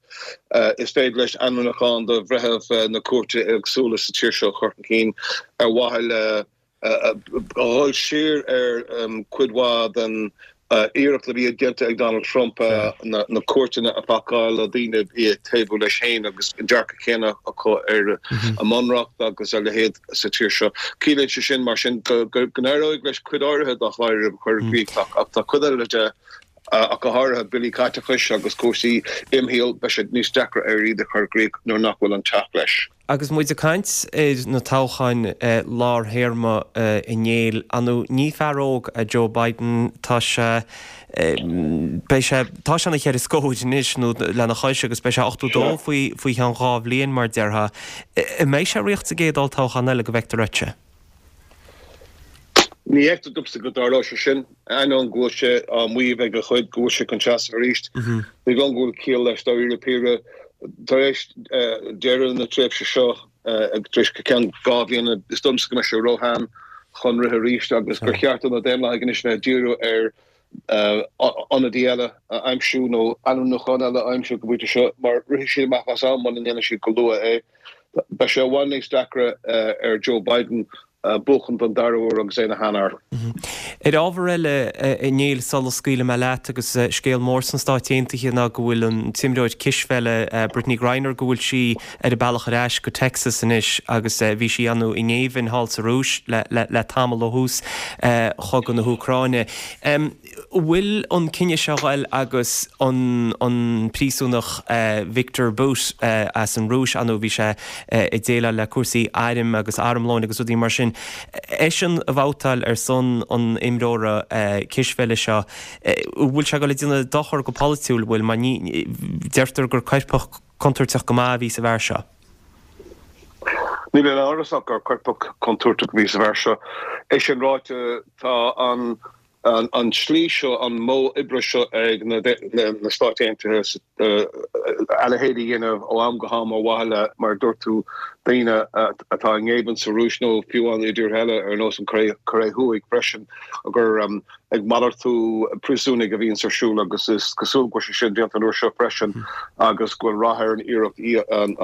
Is féidir leis ainmniúchán do bhreithimh na cúirte éagsúla sa tír seo a chur chun cinn ar mhaithe le a dhul siar ar chuid mhaith den iarracht a bhí déanta ag Donald Trump na cúirteanna a phacáil le daoine a bhí ag taobhú leis féin agus an dearcadh céanna acu ar an mbunreacht agus a leithéid sa tír seo. Ciallaíonn sé sin, mar sin, go n-éireoidh leis cuid áirithe dá chlár a chur i gcrích ach tá cuid eile de, ach go háirithe billí caiteachais agus cúrsaí imshaoil, beidh sé níos deacra air iad a chur i gcrích nuair nach bhfuil an teach leis. Agus muid ag caint ar na toghcháin lár-théarma a Néill, ar ndóigh ní fear óg é Joe Biden, tá sé, beidh sé, tá sé ina cheithre scór anois nó lena chois agus beidh sé 82 faoi, faoi cheann dhá bhliain mar déarfá. An mbeidh sé ag ritheacht sa gcéad olltoghchán eile go bhfeictear dhuitse? Ní fheictear domsa go dtarlóidh sé sin, ainneoin go bhfuil sé á maíomh ag a chuid go bhfuil sé chun seasamh arís. Ní dóigh liom go bhfuil ciall leis dáiríre píre. Tar éis deireadh na tréimhse seo, tar éis ceann 2 bhliana, is dóigh liomsa go mbeidh sé róshean chun rith arís agus gur cheart do na Daonlathaigh anois bheith ag díriú ar ionadaí eile a aimsiú nó ainmniúchán eile a aimsiú go bpointe seo mar rithfidh siad amach as am muna ndéanann siad go luath é. Beidh sé i bhfad níos deacra ar Joe Biden. Buachan don dara huair agus é ina sheanfhear. Ar ábhar eile, a Néill, sula scaoilfidh mé leat, agus scéal mór sna Stáit Aontaithe ná go bhfuil an t-imreoir cispheile Brittney Griner, go bhfuil sí ar a bealach ar ais go Texas anois agus bhí sí ann i ngéibheann thall sa Rúis le tamall ó thús chogadh na hÚcráine. Bhfuil an cinneadh seo ghoil agus an an príosúnach Viktor Bout as an Rúis, ar ndóigh bhí sé ag déileáil le cúrsaí airm agus armlóin agus rudaí mar sin, eisean a bhabhtáil ar son an imreora cispheile seo, bhfuil sé ag goil ag déanamh dochar go polaitiúil, bhfuil, mar ní, deirtear gur coirpeach contúirteach go maith a bhí sa bhfear seo. Níl aon amhras ach gur coirpeach contúirteach a bhí sa bhfear seo. É sin ráite, tá an an tslí seo, an modh oibre seo ag na Stáit Aontaithe a leithéid a dhéanamh ó am go ham ar mhaithe le, mar a dúirt tú, daoine atá i ngéibheann sa Rúis nó fiú amháin i dtíortha eile ar nós an Chóiré Thuaidh freisin, gur ag malartú príosúnaigh a bhíonns ar siúl agus is cosúil go bhfuil sé sin déanta an uair seo freisin agus go bhfuil rath ar an iarracht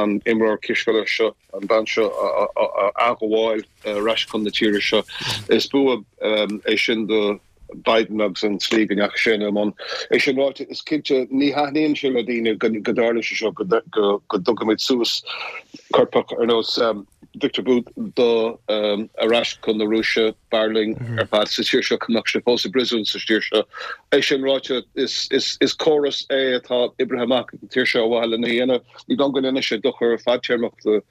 an imreoir cispheile seo. an bhean seo a athghabháil ar ais chun na tíre seo. Is bua é sin do Biden agus an tslí go ndeachaigh sé ina mbun. É sin ráite, is cinnte, ní thaitníonn sé le daoine go dtarlaíonn sé seo, go dtugaimid suas coirpeach ar nós Viktor Bout do ar ais chun na Rúise. B'fhearr linn ar fad sa tír seo go mbeadh sé fós i bpríosún sa tír seo. É sin ráite, is córas é atá oibrithe amach ag an tír seo ar mhaithe lena dhéanamh. Ní dóigh liom go ndéanfaidh sé dochar fadtéarmach do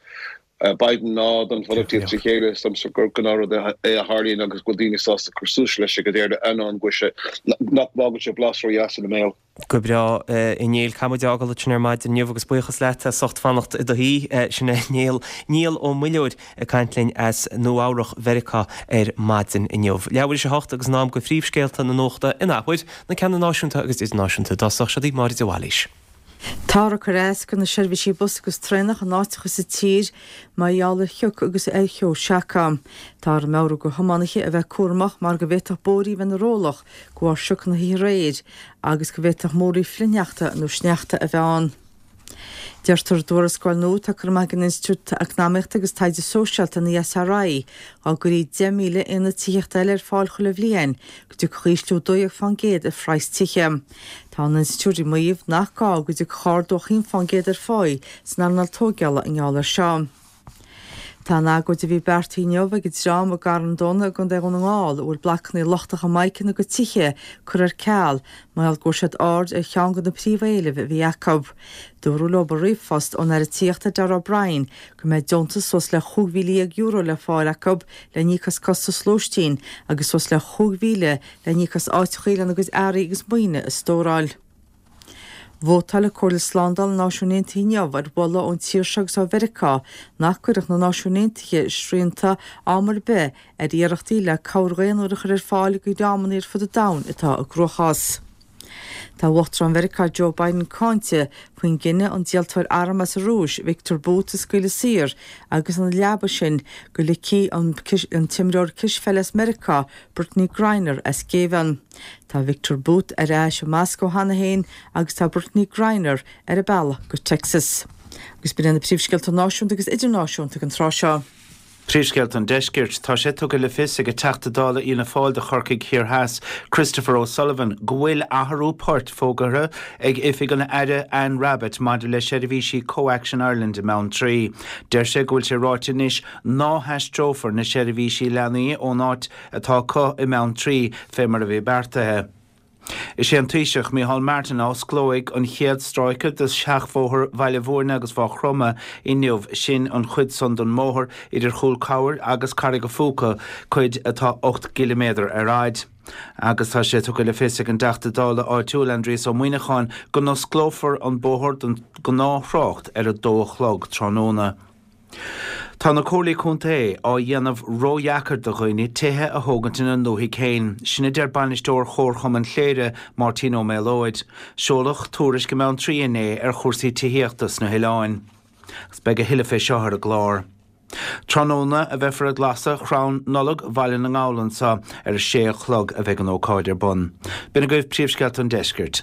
Biden ná don pholaitíocht trí chéile. Is dóigh liomsa gur gnáthrud é a tharlaíonn agus go bhfuil daoine sásta cur suas leis ag an deireadh, ainneoin go bhfuil sé, nach bhfágann sé blas ródheas ina mbéal. Go breá, a Néill. Caithfidh muid a fhágáil ansin ar maidin inniu agus buíochas leat as ucht fanacht i do shuí. Sin é Néill, Niall Ó Muilleoir ag caint linn as Nua-Eabhrac Mheiriceá ar maidin inniu. Leathuair théis a hocht agus in am go phríomhscéalta na nuachta in athuair, na ceanna náisiúnta agus idirnáisiúnta. I dtosach, seo daoibh Máire de Bhailís. Táthar ag cur as do na seirbhísí bus agus traenach in áiteacha sa tír mar gheall ar shioc agus ar cheo seaca. Táthar ag meabhrú do thiománaithe a bheith cúramach mar go bhféadfadh bóithrí a bheith ina rollach de bharr sioc na hoíche aréir agus go bhféadfadh múraí flichshneachta nó sneachta a bheith ann. Deirtear i dtuarascáil nua atá curtha amach ag an Institiúid Eacnamaíochta agus Taighde Sóisialta, an ESRI, dá gcuirí 10,000 aonad tithíochta eile ar fáil chuile bhliain, go dtiocfadh ísliú 12% ar phraghas tithe. Tá an institiúid ag maíomh nach gá go dtiocfadh ardú ach 1% ar pháí san earnáil tóigeála i ngeall air seo. Tá an agóid a bhí beartaithe inniu ag an dream i gCarn Domhnach i gContae Dhún na nGall a bhfuil blocanna lochtacha mica ina gcuid tithe curtha ar ceal mar gheall go bhfuair siad aird ar cheann de na príomhéilimh a bhí acu. Dúradh leo i ríomhphost ón Aire Tithíochta Darragh O'Brien go mbeidh deontas suas le €15,000 le fáil acu le n-íoc as costas lóistín agus suas le 5,000 le n-íoc as áiteachaí lena gcuid earraí agus maoine a stóráil. Vótáil Comhairle Slándála na Náisiún Aontaithe inniu ar mholadh ón tír seo agus ó Mheiriceá nach gcuirfeadh na Náisiúin Aontaithe srianta am ar bith ar iarrachtaí le cabhair dhaonnúil a chur ar fáil do dhreamanna ar fud an domhain atá i gcruachás. Tá Uachtarán Mheiriceá Joe Biden cáinte faoin gcinneadh an díoltóir arm as an Rúis, Viktor Bout a scaoileadh saor agus ina leaba sin go ligfí an t-imreoir cispheile as Meiriceá, Brittney Griner as géibheann. Tá Viktor Bout ar ais i Moscó cheana féin agus tá Brittney Griner ar a bealach go Texas. Agus b'in iad na príomhscéalta náisiúnta agus idirnáisiúnta ag an tráth seo. Príomhscéalta an Deiscirt. Tá sé tugtha le fios ag an Teachta Dála Fhianna Fáil do Chorcaigh Thiar Theas, Christopher O'Sullivan, go bhfuil athrú poirt fógartha ag oifig an Aire Anne Rabbitte maidir le seirbhísí CoAction Ireland i mBeanntraí. Deir sé go bhfuil sé ráite anois ná haistreofar na seirbhísí leanaí ón áit atá acu i mBeanntraí fé mar a bhí beartaithe. Is é an Taoiseach, Micheál Martin, a osclóidh an chéad stráice de sheachbhóthar Bhaile Bhúirne agus Mhaigh Chromtha inniu, sin an chuid san den mbóthar idir Chúl Camhair agus Carraig a' Phúca, cuid atá 8 gciliméadar ar fhaid. Agus tá sé tugtha le fios ag an dTeachta Dála áitiúil Aindrias Ó Muíneacháin go n-osclófar an bóthar don ghnáth-thrácht ar a dó a chlog tráthnóna. Tá na Comhairlí Contae á dhéanamh ródheacair do dhaoine tithe a thógaint ina ndúthaigh féin, sin a deir bainisteoir Chomharchumann Chléire, Máirtín Ó Méalóid. Seoladh tuairisc i mBeanntraí inné ar chúrsaí tithíochta sna hoileáin. Agus beidh a thuilleadh fé seo ar an gclár. Tráthnóna a bheifear ag lasadh chrann Nollag Bhaile na nGall anseo ar a sé a chlog a bheidh an ócáid ar bun. B'in agaibh príomhscéalta an deiscirt.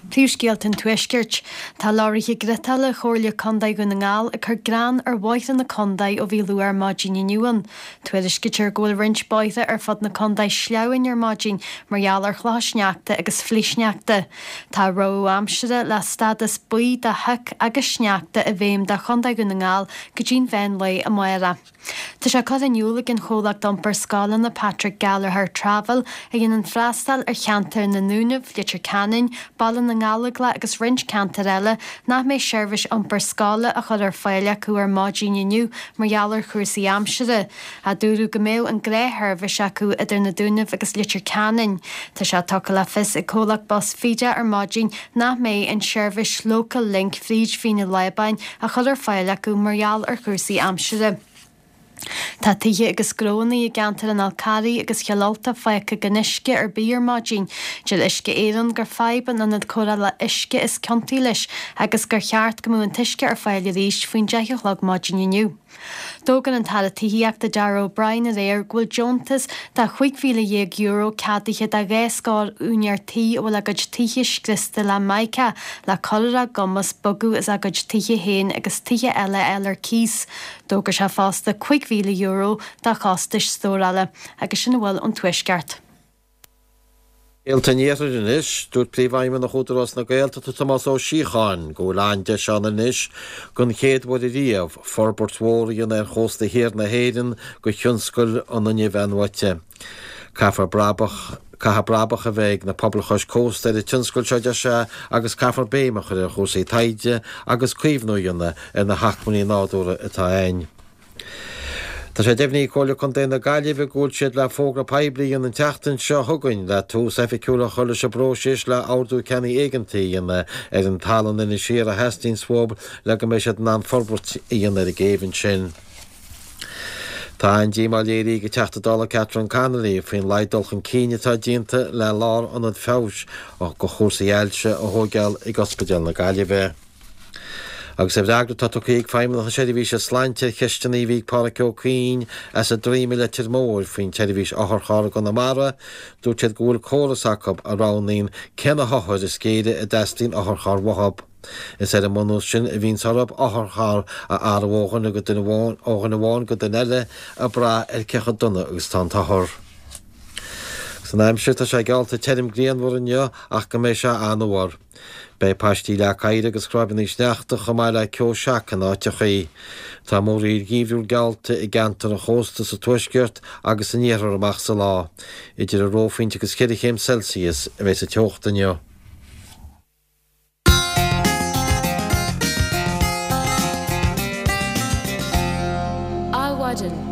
Príomhscéalta an Tuaiscirt. Tá leoraithe griotála Chomhairle Contae Dhún na nGall ag cur grean ar bhóithre na contae ó bhí luath ar maidin inniu ann. Tuairiscítear go bhfuil roinnt bóithre ar fud na contae sleamhain ar maidin mar gheall ar chlocha sneachta agus flichshneachta. Tá rabhadh aimsire le stádas buí do shioc agus sneachta i bhfeidhm do Chontae Dhún na nGall go dtí'n mheán lae amárach. Tá sé curtha in iúl ag an chomhlacht iompair scoileanna Patrick Gallagher Travel, a dhéanann freastal ar cheantar na nDúnaibh, Leitir Ceanainn, Baile na nGallóglach agus roinnt ceantar eile, nach mbeidh seirbhís iompair scoile á chur ar fáil acu ar maidin inniu mar gheall ar chúrsaí aimsire. Dúradh go mbeadh an gnáthsheirbhís acu idir na Dúnaibh agus Leitir Ceanainn. Tá sé tugtha le fios ag comhlacht bus Fida ar maidin nach mbeidh an tseirbhís Local Link fríd Mhín an Lábáin á chur ar fáil acu mar gheall ar chúrsaí aimsire. Tá tithe agus gnóanna i gceantar an Fhál Carraigh agus Chill Ulta fágtha gan uisce ar bith ar maidin. Deir Uisce Éireann gur fadhb an ionad cóireála uisce is ciontaí leis agus gur cheart go mbeadh an t-uisce ar fáil arís faoin 10 a chlog maidin inniu. D'fhógair an tAire Tithíochta Darragh O'Brien aréir go bhfuil deontas de €15,000 ceadaithe do dhá scór úinéir tí a bhfuil a gcuid tithe scriosta le mica le cur ar a gcumas bogadh as a gcuid tithe féin agus tithe eile a fháil ar cíos. D'fhógair sé fosta €5,000 do chostais stórála. Agus sin a bhfuil ón Tuaisceart. Scéalta an Iarthair anois. Dúirt Príomhfheidhmeannach Údarás na Gaeltachta Tomás Ó Síocháin go bhfuil an-deis ann anois don chéad uair ariamh forbairt mhór a dhéanamh ar chósta thiar na hÉireann do thionscal an fhuinnimh athnuaite. Caithfear brabach Caithfidh brabach a bheith ag na pobail chois cósta ar an tionscal seo, a deir sé, agus caithfear béim a chur ar chúrsaí taighde agus caomhnú a dhéanamh ar na hacmhainní nádúrtha atá againn. Tá sé deimhnithe ag Comhairle Contae na Gaillimhe go bhfuil siad le fógra poiblí a dhéanamh an tseachtain seo chugainn le tús oifigiúil a chur leis an bpróiseas le ordú ceannaigh éigeantaigh a dhéanamh ar an talamh in Inis Oírr a theastaíonns uathu le go mbeidh siad in ann forbairt a dhéanamh ar an gcéibh ansin. Tá an-díomá léirithe ag an Teachta Dála Catherine Connolly faoin laghad dul chun cinn atá déanta le lárionad feabhais do chúrsaí ailse a thóigeáil ag Ospidéal na Gaillimhe. Agus i bhfreagra atá tugtha ag Feidhmeannacht na Seirbhíse Sláinte ar cheisteanna a bhí ag Pádraic Ó Cuinn as an Droim i Leitir Móir faoin tseirbhís otharcharr i gConamara, dúirt siad go bhfuil córas acu a roghnaíonn cé na hothair is géire a dteastaíonn otharcharr uathu. Is ar an mbunús sin a bhíonns orthu otharcharr a athrú ó dhuine go duine amháin ó dhuine amháin go duine eile ag brath ar cé chomh dona agus atá an t-othar. San aimsir tá sé geallta tirim grianmhar inniu ach go mbeidh sé an-fhuar. Beidh paistí leac oighir agus cráibeanna sneachta chomh maith le ceo seaca in áiteachaí. Tá múraíl gheimhriúil geallta i gceantar an chósta sa tuaisceart agus san iarthar amach sa lá. Idir an reophointe agus cheithre chéim Celsius a bheidh sa teocht inniu. Adhmhaidin.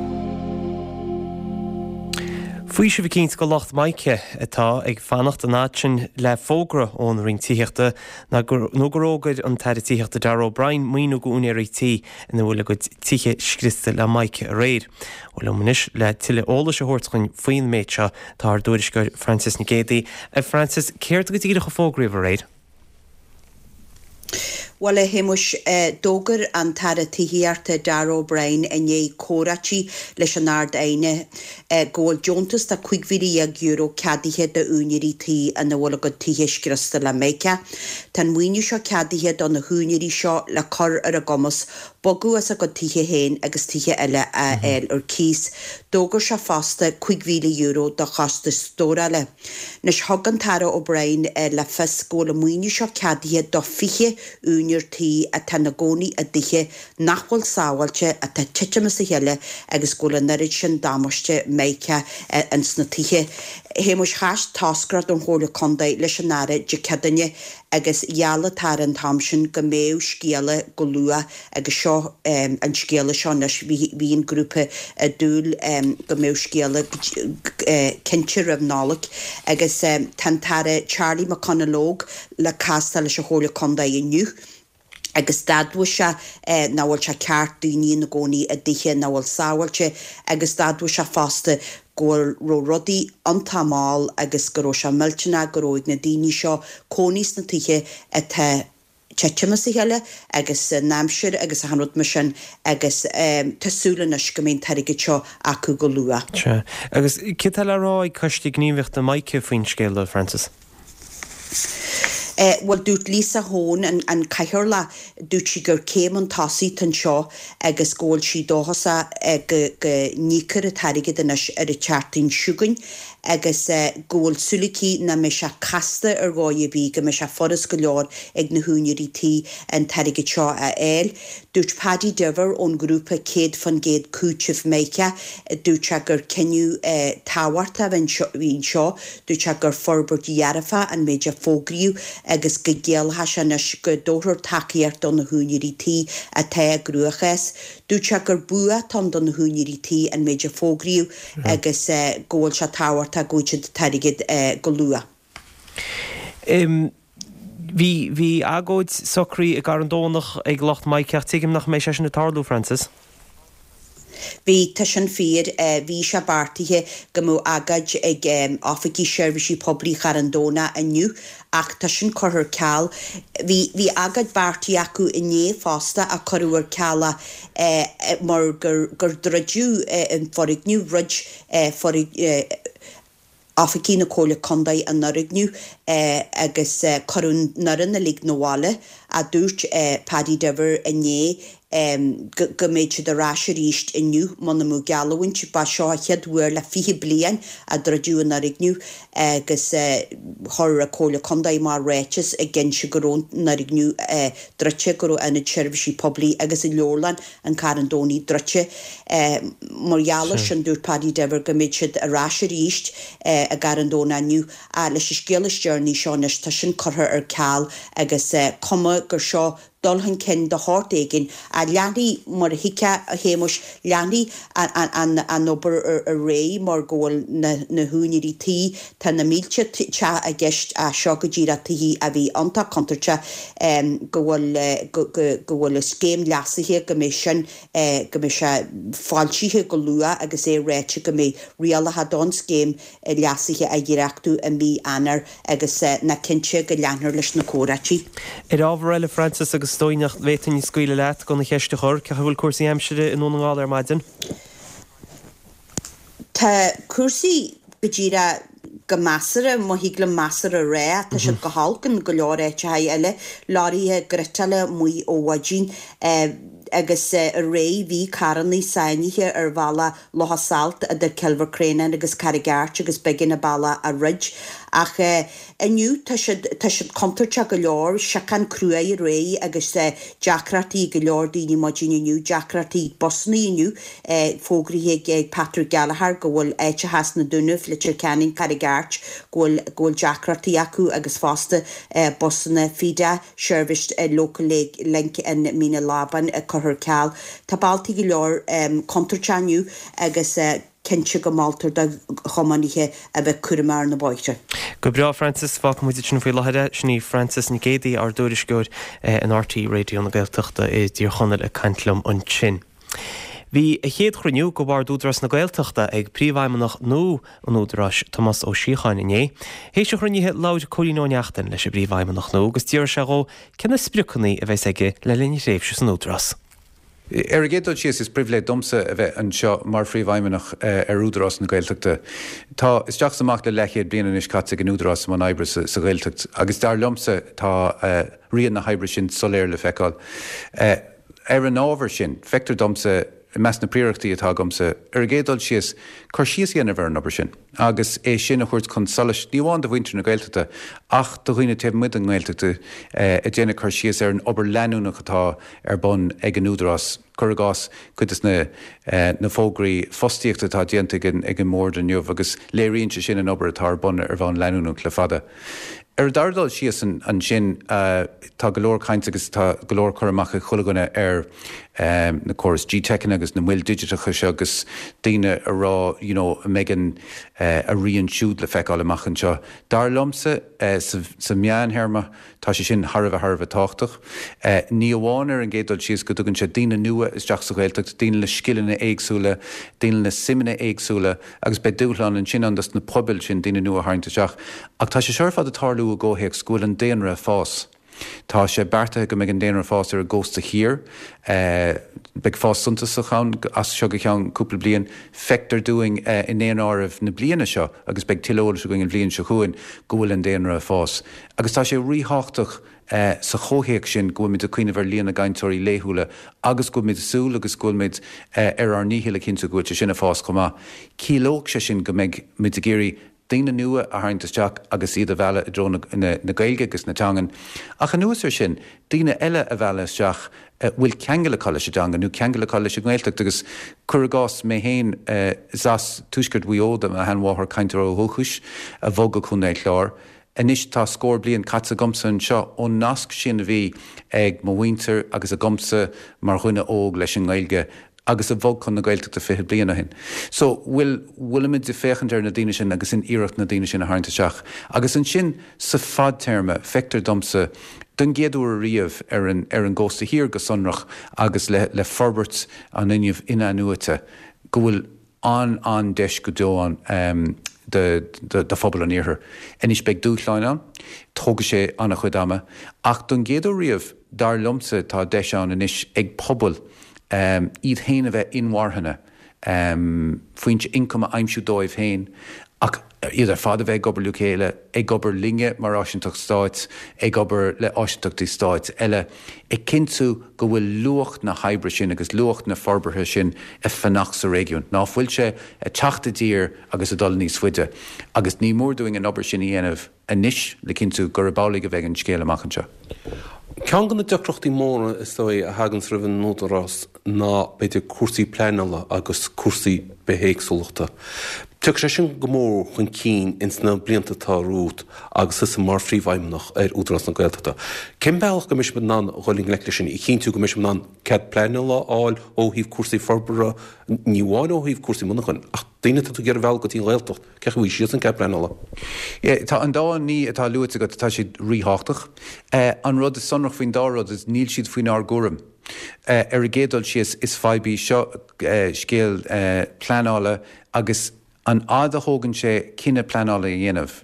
Faoiseamh eicínt go lucht Mica atá ag fanacht an fhad sin le fógra ón Roinn Tithíochta nó gur fhógair an tAire Tithíochta Darragh O'Brien maoiniú go úinéirí tí ina bhfuil a gcuid tithe scriosta le Mica aréir. Bhuel liom anois le tuilleadh eolais a thabhairt dhuinn faoin méid seo tá ár dtuairisceoir Frances Nic Géadaigh. A Frances, céard go díreach a fógraíodh aréir? Bhuel, a Shéamuis, d'fhógair an tAire Tithíochta Darragh O'Brien i ndiaidh comhráití leis an Ard-Aighne go bhfuil deontas de €15,000 ceadaithe d'úinéirí tí ina bhfuil a gcuid tithe scriosta le Mica. Tá an maoiniú seo ceadaithe do na húinéirí seo le cur ar a gcumas bogadh as a gcuid tithe féin agus tithe eile a fháil ar cíos. D'fhógair sé fosta €5,000 do chostais stórála. Anois, thug an tAire O'Brien le fios go bhfuil an maoiniú seo ceadaithe do 20 úinéir tí atá ina gcónaí i dtithe nach bhfuil sábháilte, atá ag titim as a chéile agus go bhfuil an oiread sin damáiste Mica ins na tithe. A Shéamuis, chas toscaireacht ón Chomhairle Contae leis an Aire Dé Céadaoine agus gheall an tAire an t-am sin go mbeadh scéala go luath agus seo an scéala seo anois. Bhí an grúpa ag dúil go mbeadh scéala cinnte roimh Nollaig agus tá an tAire Charlie McConalogue le castáil leis an Chomhairle Contae inniu agus d'admhaigh sé nach bhfuil sé ceart daoine ina gcónaí i dtithe nach bhfuil sábháilte agus d'admhaigh sé fosta go bhfuil raibh rudaí iontach mall agus go raibh sé millteanach go raibh ag na daoine seo cónaí sna tithe atá titim as a chéile agus an aimsir agus achan rud mar sin agus tá súil anois go mbeidh an t-airgead seo acu go luath. Sea. Agus céard atá le rá ag Coiste Gníomhaíochta Mica faoin scéal, a Frances? Bhuel, dúirt Lisa Hoane, an Cathaoirleach, dúirt sí gur céim chun tosaigh atá anseo agus go bhfuil sí dóchasach go n-íocfar an t-airgead anois ar an tseachtain seo chugainn agus go bhfuil súil aici nach mbeidh sé casta ar dhóigh ar bith, go mbeidh sé furast go leor ag na húinéirí tí an t-airgead seo a fháil. Dúirt Paddy Diver ón ghrúpa 100% Cúiteamh Mica, dúirt sé gur cinneadh tábhachtach a bhí anseo, dúirt sé gur forbairt dhearfach an méid a fógraíodh agus go gciallódh sé anois go dtabharfar tacaíocht do na húinéirí tí atá i gcruachás. Dúirt sé gur bua atá ann do na húinéirí tí an méid a fógraíodh agus go bhfuil sé tábhachtach go bhfaighidh siad an t-airgead go luath. Bhí, bhí agóid socraithe i gCarn Domhnach ag lucht Mica ach tuigim nach mbeidh sé sin ag tarlú, Frances. Bhí, tá sin fíor. Bhí sé beartaithe go mbeadh agóid ag oifigí seirbhísí poiblí Charn Domhnach inniu ach tá sin curtha ar ceal. Bhí, bhí agóid beartaithe acu inné fosta ach cuireadh ar ceal é mar gur, gur druideadh an foirgneamh, dhruid foirgneamh, Oifigí na Comhairle Contae an fhoirgneamh agus cuireadh an fhoireann uilig 'na bhaile, a dúirt Paddy Diver inné go mbeidh siad ar ais arís inniu muna mbeadh geallúint. Ba seo an chéad uair le 20 bliain a druideadh an fhoirgneamh agus chuir an Comhairle Contae amach ráiteas ag inse go raibh an fhoirgneamh druidte, go raibh Ionad Seirbhísí Poiblí agus an Leabharlann an Charn Domhnaigh druidte. Mar gheall air sin, dúirt Paddy Diver go mbeidh siad ar ais arís i gCarn Domhnach inniu. Ach leis an scéal is deireanaí seo anois, tá sin curtha ar ceal agus cuma gur seo dul chun cinn de shórt éigin. Ach leanfaidh, mar a thuigfeá, a Shéamuis, leanfaidh an an obair ar aghaidh mar go bhfuil na húinéirí tí, tá na mílte teach i gceist ach seo go díreach tithe a bhí iontach contúirteach, go bhfuil, go, go bhfuil an scéim leasaithe, go mbeidh sin, go mbeidh sé foilsithe go luath agus é ráite go mbeidh rialacha don scéim leasaithe á dhréachtú i mí Eanáir agus nach cinnte go leanfar leis na comhráití. Ar ábhar eile, Frances, agus is dóigh nach bhféadfainn scaoileadh leat gan an cheist a chur, cén chaoi a bhfuil cúrsaí aimsire i nDún na nGall ar maidin? Tá cúrsaí go díreach go measartha, má thig liom measartha a rá. Tá siad go holc in go leor áiteacha eile. Leoraithe giotála amuigh ó mhaidin agus aréir bhí carrannaí sáinnithe ar bhealach Locha Salt idir Cill Mhic Réanáin agus Carraig Airt agus b'éigean an bealach a dhruid. Ach inniu tá siad, tá siad contúirteach go leor, siocán cruaidh aréir agus deacrachtaí ag go leor daoine maidin inniu, deacrachtaí ag busannaí inniu. Fógraithe ag Patrick Gallagher go bhfuil áiteacha sna Dúnaibh, Leitir Ceanainn, Carraig Airt, go bhfuil go bhfuil deacrachtaí acu agus fosta busanna Feeda, seirbhís Local Link in Mín an Lábáin curtha ar ceal. Tá bealtaí go leor contúirteach inniu agus cinnte go moltar do thiománaithe a bheith cúramach ar na bóithre. Go breá, Frances. Fágfaidh muid ansin faoi láthair é. Sin í Frances Nic Géadaigh, ár dtuairisceoir in RTÉ Raidió na Gaeltachta i dTír Chonaill ag caint liom ansin. Bhí a chéad chruinniú de Bhord Údarás na Gaeltachta ag Príomhfheidhmeannach nua an Údaráis, Tomás Ó Síocháin, inné. Théis an chruinnithe, labhair Cóilín Ó Neachtain leis an bPríomhfheidhmeannach nua agus d'fhiafraigh sé dhó cé na spriocanna a bheas aige le linn a thréimhse san Údarás. Ar an gcéad dul síos, is pribhléid domsa a bheith anseo mar Phríomhfheidhmeannach ar Údarás na Gaeltachta. Tá isteach is amach le leathchéad bliain anois caite ag an Údarás i mbun oibre sa Ghaeltacht agus dar liomsa tá rian na hoibre sin soiléir le feiceáil. Ar an ábhar sin, feictear domsa, i measc na bpríorachtaí atá agamsa, ar an gcéad dul síos, cur síos a dhéanamh ar an obair sin agus é sin a thabhairt chun solais, ní amháin do mhuintir na Gaeltachta ach do dhaoine taobh amuigh den nGaeltacht, ag déanamh cur síos ar an obair leanúnach atá ar bun ag an Údarás. Cuir i gcás, cuid de na fógraí fostaíochta atá déanta ag an mBord inniu agus léiríonn sé sin an obair atá ar bun ar bhonn leanúnach le fada. Ar an dara dul síos ansin, tá go leor cainte agus tá go leor cur amach ag chuile dhuine ar na córais GTeiceanna agus na moil digiteacha seo agus daoine ag rá you know an mbeidh an a rian siúd le feiceáil amach anseo. Dar liomsa, sa mheánthéarma, tá sé sin thar a bheith thar a bheith tábhachtach. Ní amháin ar an gcéad dul síos go dtugann sé daoine nua isteach sa Ghaeltacht, daoine le scileanna éagsúla, daoine le suimeanna éagsúla, Agus beidh dúshlán ansin ann dos na pobail sin daoine nua a tharraingt isteach. Ach tá sé seo ar fad ag tarlú i gcomhthéacs go bhfuil an daonra ag fás. Tá sé beartaithe go mbeidh an daonra ag fás ar an gcósta thiar. Beidh fás suntasach ann as seo go ceann cúpla bliain. Feictear dúinn i ndaonáireamh na bliana seo, agus beidh tuilleadh eolais againn an bhliain seo chugainn, go bhfuil an daonra ag fás. Agus tá sé ríthábhachtach sa chomhthéacs sin go bhfuilimid ag cuimhneamh ar líon na gcainteoirí laethúla agus go bhfuilimid ag súil agus go bhfuilimid ar ár ndícheall a chinntiú go bhfuil sé sin ag fás chomh maith. Ciallóidh sé sin go mbeidh muid ag iarraidh daoine nua a tharraingt isteach agus iad a mhealladh i dtreo na Gaeilge agus na teangan. Ach anuas air sin, daoine eile a mhealladh isteach a bhfuil ceangal acu leis an dteanga nó ceangal acu leis an nGaeltacht agus cuir i gcás mé féin, is as tuaisceart Mhaigh Eo do mo sheanmháthair, cainteoir ó dhúchas, a bhog go Contae an Chláir. Anois tá scór bliain caite agamsa anseo ón nasc sin a bhí ag mo mhuintir agus agamsa mar dhuine óg leis an nGaeilge agus a bhog chun na Gaeltachta 20 bliain ó shin. So, bhfuil, bhfuilimid ag féachaint ar na daoine sin agus in iarracht na daoine sin a tharraingt isteach. Agus ansin sa fadtéarma, feictear domsa, don gcéad uair ariamh ar an, ar an gcósta thiar go sonrach agus le, le forbairt an fhuinnimh in-athnuaite, go bhfuil an, an-deis go deo ann do, do, do phobal an iarthair. Anois beidh dúshláin ann, tógfaidh sé an-chuid ama, ach don gcéad uair riamh, dar liomsa, tá deis ann anois ag pobail iad féin a bheith inmharthana, foinse ioncaim a aimsiú dóibh féin, ach iad ar fad a bheith ag obair le chéile, ag obair linne mar áisínteacht stáit, ag obair le áisínteachtaí stáit eile, ag cinntiú go bhfuil luach na hoibre sin agus luach na forbartha sin ag fanacht sa réigiún, ná fuil sé ag teacht i dtír agus ag dul níos faide. Agus ní mór dúinn an obair sin a dhéanamh. anois le cinntiú gurb amhlaidh a bheidh an scéal amach anseo. Ceann de na deacrachtaí móra, is dóigh, a thaganns roimh an Údarás ná, b'fhéidir, cúrsaí pleanála agus cúrsaí bithéagsúlachta. Tiocfaidh sé sin go mór chun cinn ins na blianta atá romhat agus tusa mar Phríomhfheidhmeannach ar Údarás na Gaeltachta. Cén bealach go mbeidh sibh in ann dhul i ngleic leis sin, a chinntiú go mbeidh sibh in ann cead pleanála a fháil ó thaobh cúrsaí forbartha, ní amháin ó thaobh cúrsaí monarchan, ach daoine atá tú ag iarraidh a mhealladh go dtí an Ghaeltacht? Cén chaoi a bhfaighidh siadsan cead pleanála? Tá an dá ní atá luaite agat, tá siad ríthábhachtach. An rud is sonrach faoin dá rud is níl siad faoinár gcúram. Ar an gcéad dul síos, is fadhb í seo scéal pleanála agus an fhad a thógann sé cinneadh pleanála a dhéanamh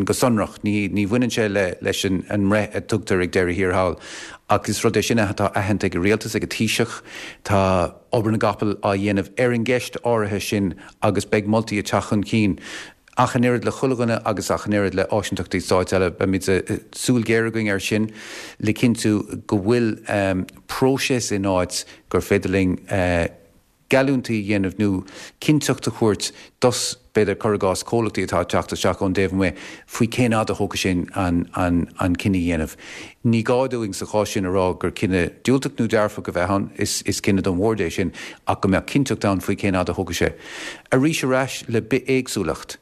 go sonrach, ní bhaineann sé leis an mbreith a tugtar ag deireadh thiar thall ach is rud é sin atá aitheanta ag an Rialtas, ag an Taoiseach. Tá obair na gcapall á dhéanamh ar an gceist áirithe sin agus beidh moltaí ag teacht chun cinn. Ach an oiread le chuile dhuine agus ach an oiread le áisínteachtaí stáit eile, beimid súil ghéar againn air sin le cinntiú go bhfuil próiseas in áit gur féidir linn geallúintí a dhéanamh nó cinnteacht a thabhairt dos, b'fhéidir, cuir i gcás, comhlachtaí atá ag teacht isteach ón dtaobh amuigh faoi cén fhad a thógfaidh sé an cinneadh a dhéanamh. Ní gá dúinn sa chás sin a rá gur cinneadh diúltach nó dearfach a bheadh ann, is cinneadh don bhord é sin, ach go mbeadh cinnteacht ann faoi cén fhad a thógfaidh sé. Arís ar ais le bithéagsúlacht.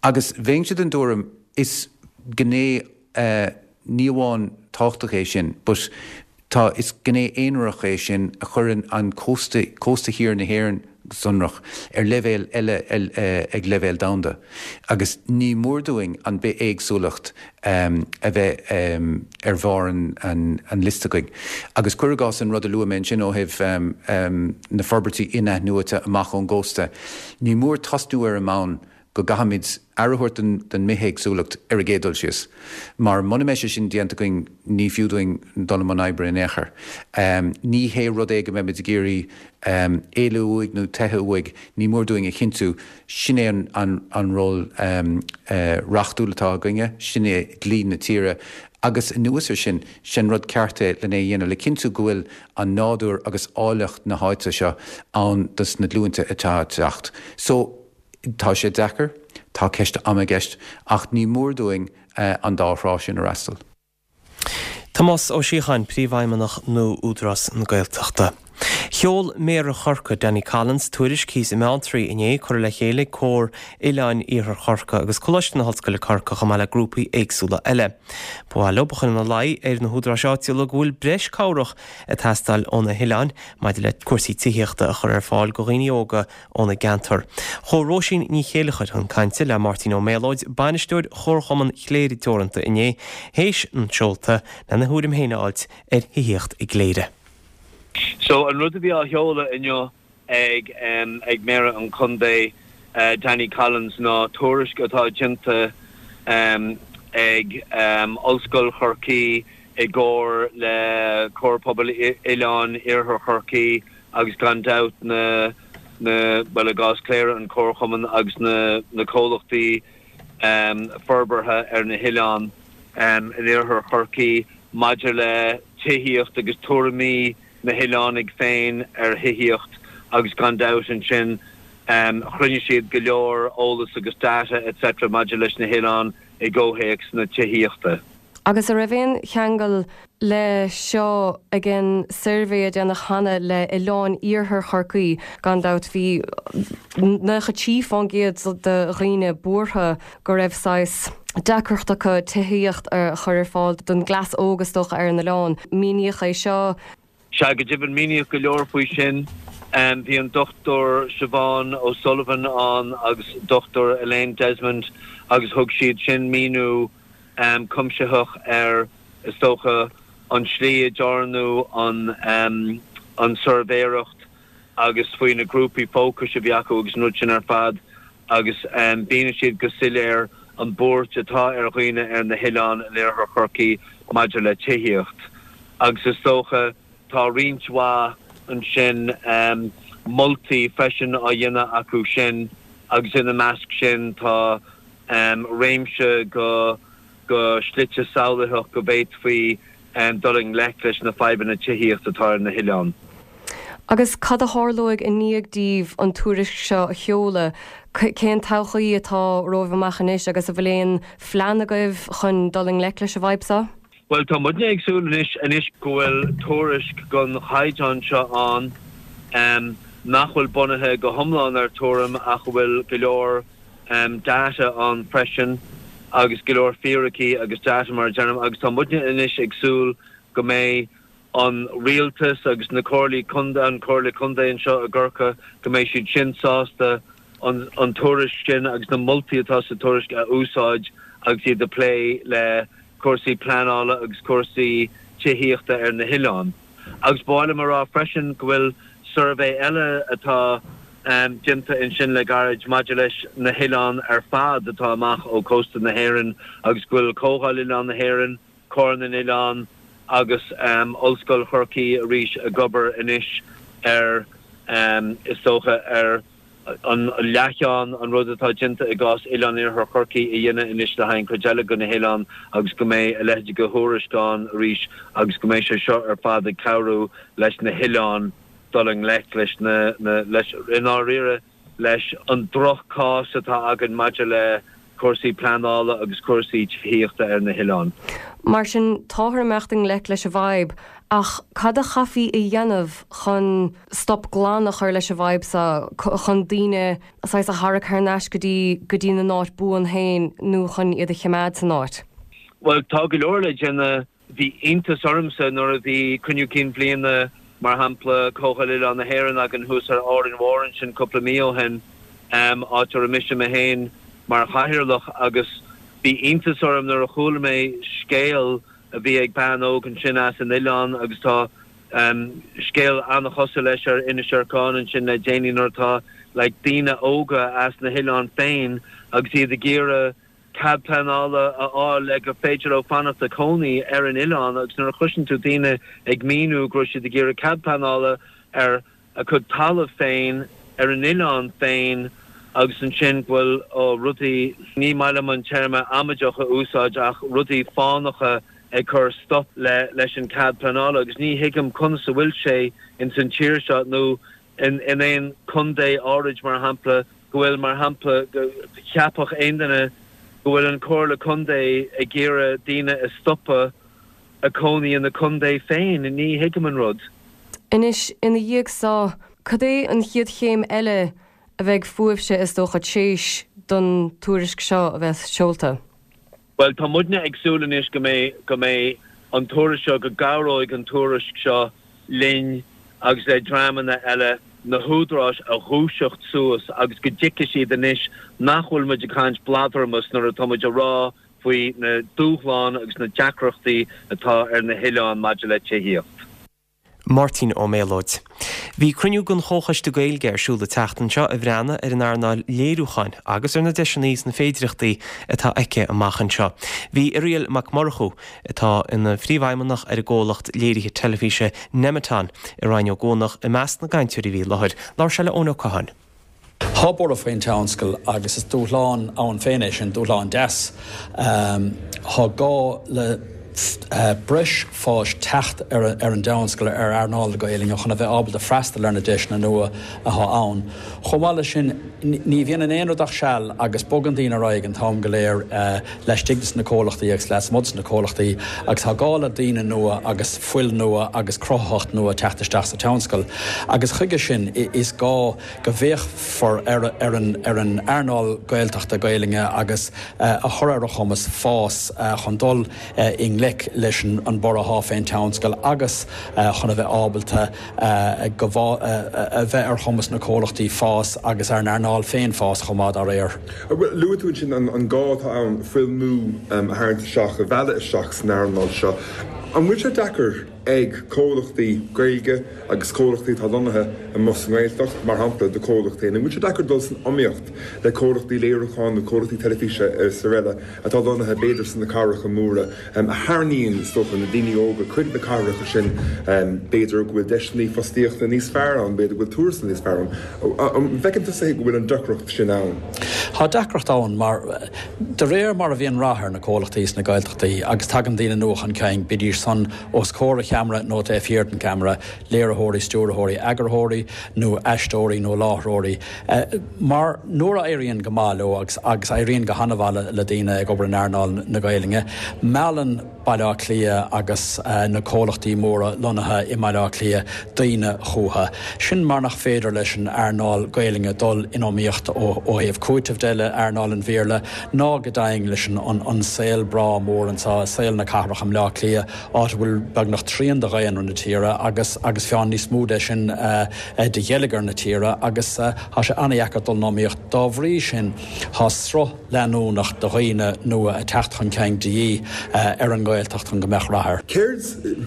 Agus bheinnse den dtuairim, is gné ní amháin tábhachtach é sin, but tá, is gné aonarach é sin a chuireann an cósta, cósta thiar na hÉireann go sonrach, ar leibhéal eile ag leibhéal domhanda. Agus ní mór dúinn an bithéagsúlacht a bheith ar bharr an liosta againn. Agus cuir i gcás an rud a luaigh mé ansin ó thaobh na forbairtí in-athnuaite amach ón gcósta, ní mór tosnú ar an mbonn go gcaithfimid aire a thabhairt don mbithéagsúlacht ar an gcéad dul síos, mar muna mbeidh sé sin déanta againn ní fiú dúinn dul i mbun oibre in aon chor. Ní hé rud é go mbeimid ag iarraidh éalú uaidh nó teitheadh uaidh, ní mór dúinn a chinntiú, sin é an ról reachtúil atá againne, sin é dlí na tíre agus anuas air sin, sin rud ceart é lena dhéanamh le cinntiú go bhfuil an nádúr agus áilleacht na háite seo ann dos na glúinte atá ag teacht. So. Tá sé deacair, tá ceist ama i gceist, ach ní mór dúinn an dá thrá sin a fhreastal. Tomás Ó Síocháin, Príomhfheidhmeannach nua Údarás na Gaeltachta. Sheol Méara Chorcaí, Danny Collins, tuairisc thíos i mBeanntraí inné, curtha le chéile ag Comhar Oileáin Iarthar Chorcaí agus Coláiste na hOllscoile Corcaigh chomh maith le grúpaí éagsúla eile. Ba mhaith leo a chur ina luí ar na húdaráis áitiúla go bhfuil breis cabhrach ag teastáil ó na hoileáin maidir le cúrsaí tithíochta a chur ar fáil go dhaoine óga óna gceantar. Chuaigh Róisín Ní Chéileachair chun cainte le Máirtín Ó Méalóid, bainisteoir Chomharchumann Chléire Teoranta inné, théis an tseolta, lena thuairim féin a fháilt ar thithíocht i gCléire. So an rud a bhí á sheoladh inniu ag ag Méara an Chontae, Danny Collins, ná tuairisc atá déanta. ag Ollscoil Chorcaí i gcomhar le Comhar Pobail Oileáin Iarthar Chorcaí agus gan dabht na, na, bhuel i gcás Chléire an Comharchumann agus na, na comhlachtaí forbartha ar na hoileáin in Iarthar Chorcaí maidir le tithíocht agus tuairimí na hoileánaigh féin ar thithíocht agus gan dabht ansin chruinnigh siad go leor eolas agus data etc maidir leis na hoileáin i gcomhthéacs na tithíochta. Agus a' raibh aon cheangal le seo ag an suirbhé a déanadh cheana le oileáin iarthar Chorcaí? Gan dabht bhí 93% de dhaoine buartha go raibh saghas deacracht acu tithíocht a chur ar fáil don gcleas óg is dócha ar an oileán. Míníodh é seo. Sea, go deimhin, míníodh go leor faoi sin. Bhí an Dr Siobhán O'Sullivan ann agus Dr Elaine Desmond agus thug siad sin míniú cuimsitheach ar, is dócha, an tslí a ndearnadh an tsuirbhéireacht agus faoi na grúpaí fócais a bhí acu agus an rud sin ar fad agus mhínigh siad go soiléir an bhuairt atá ar dhaoine ar na hoileáin in iarthar Chorcaí maidir le tithíocht. Agus is dócha tá roinnt mhaith ansin moltaí freisin á dhéanamh acu sin agus ina measc sin tá réimse go go slite samhlaitheach go bhféadfaí dul i ngleic leis na fadhbanna tithíochta atá ar na hoileáin. Agus cad a tharlóidh i ndiaidh daoibh an tuairisc seo a sheoladh? Cén todhchaí atá romhaibh amach anois agus an bhfuil aon phlean agaibh chun dul i ngleic leis an bhfadhb seo? Bhuel, tá muidne ag súil anois, anois go bhfuil tuairisc den chaighdeán seo ann, nach bhfuil bunaithe go hiomlán ar tuairim ach a bhfuil go leor data ann freisin agus go leor fíricí agus data mar a deirim agus tá muidne anois ag súil go mbeidh an rialtas agus na comhairlí contae, an Comhairle Contae anseo i gCorcaigh, go mbeidh siad sin sásta an an tuairisc sin agus na moltaí atá sa tuairisc a úsáid agus iad ag plé le cúrsaí pleanála agus cúrsaí tithíochta ar na hoileáin. Agus ba mhaith liom a rá freisin go bhfuil suirbhé eile atá déanta ansin le gairid maidir leis na hoileáin ar fad atá amach ó chósta na hÉireann agus go bhfuil Comhdháil Oileán na hÉireann, Comhar na nOileán agus Ollscoil Chorcaí arís ag obair anois ar, is dócha, ar. an leathcheann, an rud atá déanta i gcás Oileán Iarthar Chorcaí a dhéanamh anois le haghaidh an chuid eile de na hoileáin agus go mbeidh a leithéid de thuairisc ann arís agus go mbeidh sé seo ar fad ag cabhrú leis na hoileáin dul i ngleic leis na, leis, i ndáiríre, leis an droch-chás atá againn maidir le cúrsaí pleanála agus cúrsaí tithíochta ar na hoileáin. Mar sin, táthar ag imeacht i ngleic leis an bhfadhb, ach cad a chaithfí a dhéanamh chun stop glan a chur leis an bhfadhb seo, chun daoine saghas a tharrac thar n-ais go dtí go dtí na n-áit buan féin nó chun iad a chimeád san áit? Bhuel, tá go leor le déanamh. Bhí iontas ormsa nuair a bhí Cruinniú Cinn Bhliana, mar shampla, Comhdháil Oileán na hÉireann againn thuas ar Árainn Mhór ansin cúpla mí ó shin, áit a raibh mise mé féin mar chathaoirleach, agus bhí iontas orm nuair a chuala mé scéal a bhí ag bean óg ansin as an oileán agus tá scéal an-chosúil leis ar Inis Arcáin ansin le déanaí nuair atá like daoine óga as na hoileáin féin agus iad ag iarraidh cead pleanála a fháil le gur féidir leo fanacht ag cónaí ar an oileán agus nuair a chloiseann tú daoine ag míniú go raibh siad ag iarraidh cead pleanála ar a gcuid talaimh féin ar an oileán féin agus ansin go bhfuil ó rudaí, ní maith liom an téarma amaideach a úsáid ach rudaí fánacha ag cur stop le leis an cead pleanála agus ní thuigim conas a bhfuil sé ins an tír seo nó in aon contae áirid, mar shampla, go bhfuil, mar shampla, go cheapfadh aon duine go bhfuil an Comhairle Contae ag iarraidh daoine a stopadh ag cónaí ina contae féin. Ní thuigim an rud. Anois, ina dhiaidh so, cad é an chéad chéim eile a bheidh fúibhse, is dócha, tréis don tuairisc seo a bheith seolta? Bhuel, tá muidne ag súil anois go mbeidh, go mbeidh an tuairisc seo, go gcabhróidh an tuairisc seo linn agus le dreamanna eile na húdaráis a dhúiseacht suas agus go dtuigfidh siad anois nach bhfuil muid ag caint bladramas nuair atá muid ag rá faoi na dúshláin agus na deacrachtaí atá ar na hoileáin maidir le tithíocht. Máirtín Ó Méalóid. Bhí cruinniú den Chomhchoiste Gaeilge ar siúl an tseachtain seo a bhreathnaigh ar an earnáil léiriúcháin agus ar na deiseanna is na féidireachtaí atá aici amach anseo. Bhí Irial Mac Murchú, atá ina phríomhfheidhmeannach ar an gcomhlacht léirithe teilifíse Nemeton i Rinn Ó gCuanach, i measc na gcainteoirí a bhí i láthair. Labhair sé le Eoin Ó Catháin. Tá borradh faoin tionscal agus is dúshlán ann féin é sin, dúshlán deas. Tá gá le breis fáis teacht ar an dtionscal, ar earnáil na Gaelainne chun a bheith ábalta freastal ar na deiseanna nua atá ann. Chomh maith leis sin, ní bhíonn in aon rud ach seal agus bogann daoine ar aghaidh an t-am go léir laistigh de na comhlachtaí agus lasmuigh de na comhlachtaí agus tá gá le daoine nua agus fuil nua agus cruthaitheacht nua teacht isteach sa tionscal agus chuige sin is gá go bhféachfar ar an ar an earnáil Gaeltachta, Gaelainne agus a chur ar a chumas fás chun dul i ngleic leis an borradh atá fén tionscal agus chun a bheith ábalta go a bheith ar chumas na comhlachtaí fás agus ar an earnáil féin fás chomh maith dá réir. Luaigh tú ansin an gá atá ann fuil nua a tharraingt isteach, a mhealladh isteach san earnáil seo. An bhfuil sé deacair ag comhlachtaí Gaeilge agus comhlachtaí atá lonnaithe amuigh sa nGaeltacht, mar shampla do chomhlacht féin, an bhfuil sé deacair dul san iomaíocht le comhlachtaí léiriúcháin nó comhlachtaí teilifíse is araile atá lonnaithe b'fhéidir sna cathracha móra, a tharraingíonn, is dócha, na daoine óga chuig na cathracha sin, b'fhéidir go bhfuil deiseanna fostaíochta níos fearr ann, b'fhéidir go bhfuil tuarastal níos fearr ann. An bhfeiceann tusa go bhfuil an deacracht sin ann? Tá deacracht ann mar, de réir mar a bhíonn rath ar na comhlachtaí sna Gaeltachtaí agus tagann daoine nua chun cinn, bídís san os comhair an cheamara nó taobh thiar den cheamara, léiritheoirí, stiúrthóirí, eagarthóirí nó aisteoirí nó láithreoirí, mar nuair a éiríonn go maith leo, agus agus éiríonn go han-mhaith le daoine ag obair in earnáil na Gaelainne, meallann Baile Átha Cliath agus na comhlachtaí móra lonnaithe i mBaile Átha Cliath daoine chucu. Sin mar nach féidir leis an earnáil Gaelainne dul in iomaíocht ó thaobh cúitimh de le earnáil an Bhéarla ná go deimhin leis an saol breá mór anseo, saol na cathrach i mBaile Átha Cliath, áit a bhfuil beagnach trian de dhaonra na tíre agus agus fiú níos mó de sin de gheilleagar na tíre agus tá sé an-dheacair dul in iomaíocht. Dá bhrí sin tá sruth leanúnach de dhaoine nua ag teacht chun cinn de dhíth ar an nGaeltacht chun go mbeadh rath air. Céard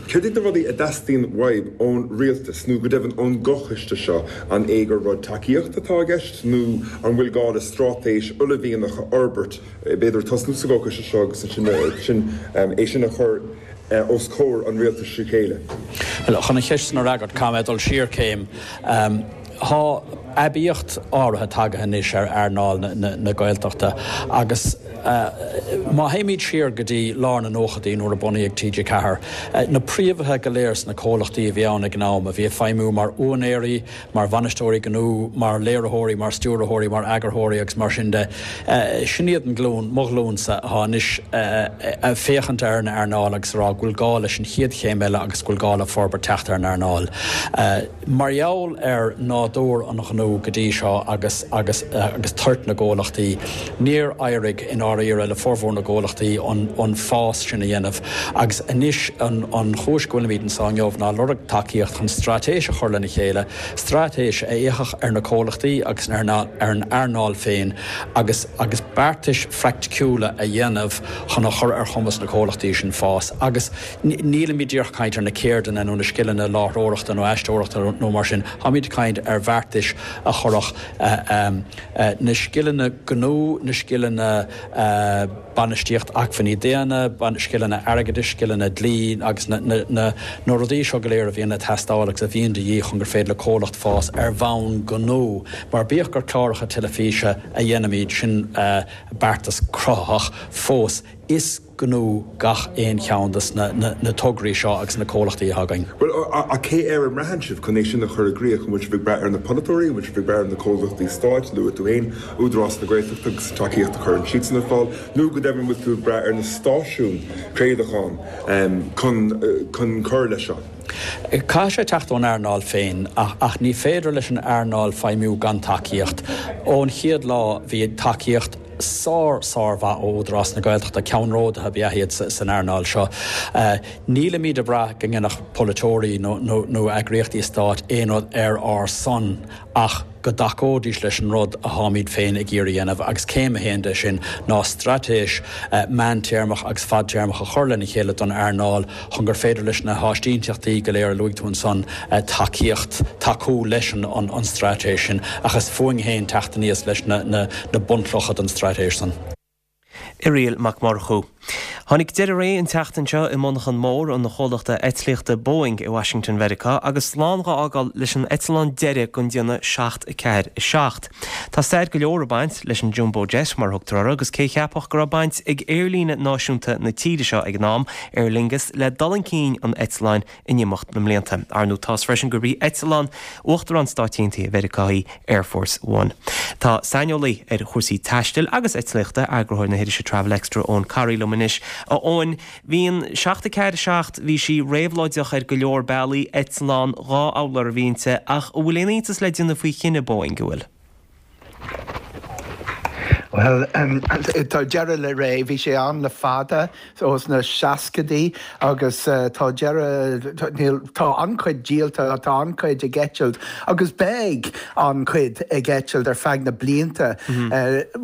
céard iad na rudaí a dteastaíonn uaibh ón rialtas nó go deimhin ón gComhchoiste seo? An é gur rud tacaíochta atá i gceist nó an bhfuil gá le straitéis uaillmhianach a fhorbairt b'fhéidir tosnú sa gComhchoiste seo agus ansin é sin a chur os comhair an rialtais trí chéile. Bhuel, chun an cheist san a fhreagairt, caithfidh mé dul siar céim. Tá aibíocht áirithe tagaithe anois ar earnáil na Gaeltachta agus má théimid siar go dtí lár na nóchaidí nuair a bunaíodh TG4, na príomhaithe go léir sna comhlachtaí a bhí ann ag an am, a bhí ag feidhmiú mar úinéirí, mar bhainisteoirí gnó, mar léiritheoirí, mar stiúrthóirí, mar eagarthóirí agus mar sin de. Sin iad an glúin, mo ghlúinsa, atá anois ag féachaint ar an earnáil agus ag rá go bhfuil gá leis an chéad chéim eile agus go bhfuil gá le forbairt teacht ar an earnáil. Mar gheall ar nádúr an ghnó go dtí seo agus agus agus toirt na gcomhlachtaí, níor éirigh i ndáiríre le formhór na gcomhlachtaí an an fás sin a dhéanamh agus anois an an chúis go bhfuilimid anseo inniu ná lorg tacaíocht chun straitéis a chur lena chéile, straitéis a fhéachfadh ar na comhlachtaí agus ar an earnáil féin agus agus beartais phraiticiúla a dhéanamh chun a chur ar chumas na comhlachtaí sin fás. Agus nílimid díreach ag caint ar na ceirdeanna nó na scileanna láithreoireachta nó aisteoireachta nó mar sin, táimid ag caint ar bheartais a chuirfeadh na scileanna gnó, na scileanna. bainistíocht acmhainní daonna, scileanna airgeadais, scileanna dlí agus na rudaí seo go léir a bhíonn ag teastáil agus a bhíonn de dhíth chun gur féidir le comhlacht fás ar bhonn gnó. Mar bíodh gur cláracha teilifíse a dhéanaimid, sin beartas cruthaitheach fós, is gnó gach aon cheann de na tograí seo agus na comhlachtaí atá againn. Bhuel, ach cé air a mbraitheann sibh chun é sin a chur i gcrích? An bhfuil sibh ag brath ar na polaiteoirí? An bhfuil sibh ag brath ar na comhlachtaí stáit? Luaigh tú féin Údarás na Gaeltachta agus an tacaíocht a chuireann siadsan ar fáil, nó go deimhin an bhfuil tú ag brath ar na stáisiúin craolacháin chun cur leis seo? Caithfidh sé teacht ón earnáil féin ach ní féidir leis an earnáil feidhmiú gan tacaíocht. Ón chéad lá bhí tacaíocht sár sármhaith ó Údarás na Gaeltachta, ceannródaithe ab ea iad san earnáil seo. Nílimid ag brath go ndéanfadh polaiteoirí nó eagraíochtaí stáit aon rud ar ár son ach. go dtacóidís leis an rud atáimid féin ag iarraidh a dhéanamh agus céim a haon de sin ná straitéis meántéarmach agus fadtéarmach a chur lena chéile don earnáil chun gur féidir leis na háisínteachtaí go léir a luaigh tú ansan tacaíocht, tacú leis an straitéis sin ach is fúinn féin teacht aníos leis na bunchlocha don straitéis san. Irial Mac Murchú. Tháinig deireadh ré an tseachtain seo i monarchan mór an chomhlachta eitlíochta Boeing i Washington Mheiriceá agus slán dhá fhágáil leis an eitleán deiridh den déanamh 747. Tá stair go leor ag baint leis an Jumbo Jet mar a thugtar orthu agus cé a cheapfadh go raibh baint ag aerlíne náisiúnta na tíre seo ag an am, Aer Lingus, le dul chun cinn an eitleáin in imeacht na mblianta. Ar ndóigh tá's freisin gurb í eitleán Uachtarán Stáit Aontaithe Mheiriceá í Air Force One. Tá saineolaí ar chúrsaí taistil agus eitlíochta, eagarthóir na hirise Travel Extra, Eoin Corry liom anois. A Eoin, bhí an 747, bhí sí réabhlóideach ar go leor bealaí, eitleán 2 urlár a bhí inti, ach an bhfuil aon iontas le déanamh faoi chinneadh Boeing, an bhfuil? Bhuel, tá deireadh le ré. Bhí sé ann le fada, ó sna seascaidí, agus tá deireadh, níl, tá an-chuid díolta, tá an-chuid ag eitilt agus beidh an-chuid ag eitilt ar feadh na blianta.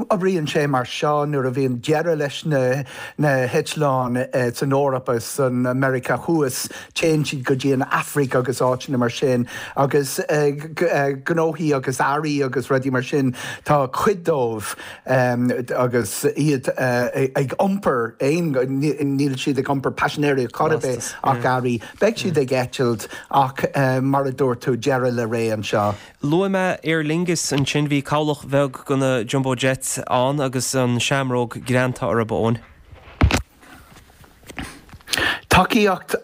Oibríonn sé mar seo nuair a bhíonn deireadh leis na na heitleáin san Eoraip agus san Meiriceá Thuas, Téann siad go dtí an Afraic agus áiteanna mar sin agus gnóthaí agus earraí agus rudaí mar sin, tá cuid dóibh agus iad ag iompar aon, níl siad ag iompar paisinéirí ar chor ar bith ach earraí. Beidh siad ag eitilt ach mar a dúirt tú, deireadh le ré anseo. Luaigh mé Aer Lingus ansin, bhí cabhlach bheag de na Jumbo Jets ann agus an seamróg greanta orthu, a Eoin. Tacaíocht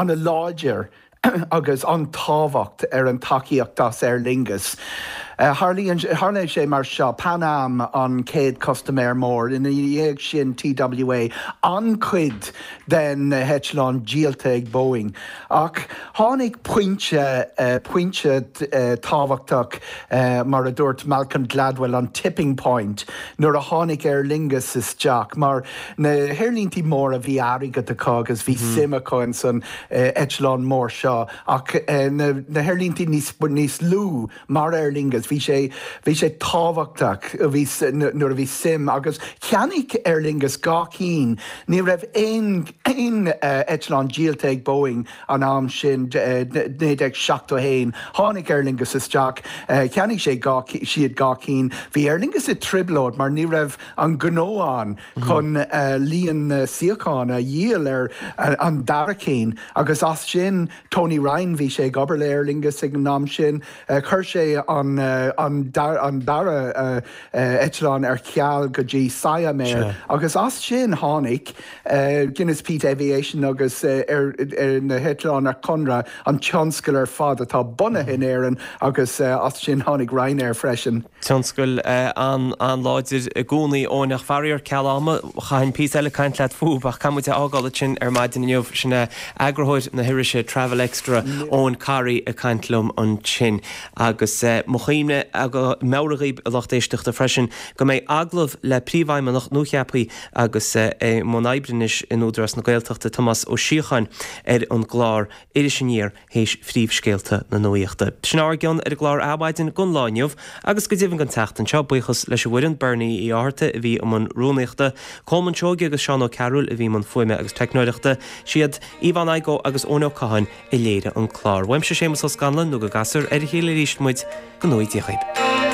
an-láidir agus an-tábhacht ar an tacaíocht as Aer Lingus. Tharlaíonn sé mar seo, Pan Am an chéad custaiméir mór, ina dhiaidh sin TWA, an-chuid den na heitleáin díolta ag Boeing. Ach tháinig pointe, pointe tábhachtach, mar a dúirt Malcolm Gladwell, an tipping point, nuair a tháinig Aer Lingus isteach, mar na haerlíntí móra bhí airgead acu agus bhí suim acu ins an eitleán mór seo, ach na haerlíntí níos, níos lú, Mar Aer Lingus, bhí sé, bhí sé tábhachtach, bhí, nuair a bhí suim, agus cheannaigh Aer Lingus 2 cinn, ní raibh aon, aon eitleán díolta ag Boeing an am sin, 1971, tháinig Aer Lingus isteach, cheannaigh sé 2, siad 2 cinn, bhí Aer Lingus i dtrioblóid mar ní raibh an gnó ann chun líon na suíochán a dhíol ar an dara cinn agus as sin, Tony Ryan, bhí sé ag obair le Aer Lingus ag an am sin, chuir sé an an dara eitleán ar ceal go dtí Siam Air agus as sin tháinig Guinness Peat Aviation agus ar na heitleáin ar conradh, an tionscal ar fad atá bunaithe in Éirinn agus as sin tháinig Ryanair freisin. Tionscal an-láidir i gcónaí, Eoin, ach faraor, ceal ama, chaithfinn píosa eile caint leat fúthu ach caithfidh muid é fhágáil ansin ar maidin inniu. Sin é eagarthóir na hirise Travel Extra, Eoin Corry ag caint liom ansin. Agus mo chuimhne, meabhrú dhaoibh a lucht éisteachta freisin go mbeidh agallamh le Príomhfheidhmeannach nuacheaptha agus é i mbun oibre anois in Údarás na Gaeltachta, Tomás Ó Síocháin ar an gclár Iris Aniar théis phríomhscéalta na nuaíochta. Sin ár gcion ar an gclár Adhmhaidin don lá inniu agus go deimhin don tseachtain seo. Buíochas leis an bhfoireann, Bernie Uí Fhátharta a bhí i mbun rúnaíochta, Colman Seoige agus Seán Ó Cearúil a bhí i mbun fuaime agus teicneoireachta. Siad Yvonne Igoe agus Eoin Ó Catháin a léirigh an clár. Uaimse Séamus Ó Scanláin nó go gcasfar ar a chéile arís muid, go ngnóthaí Dia dhaoib.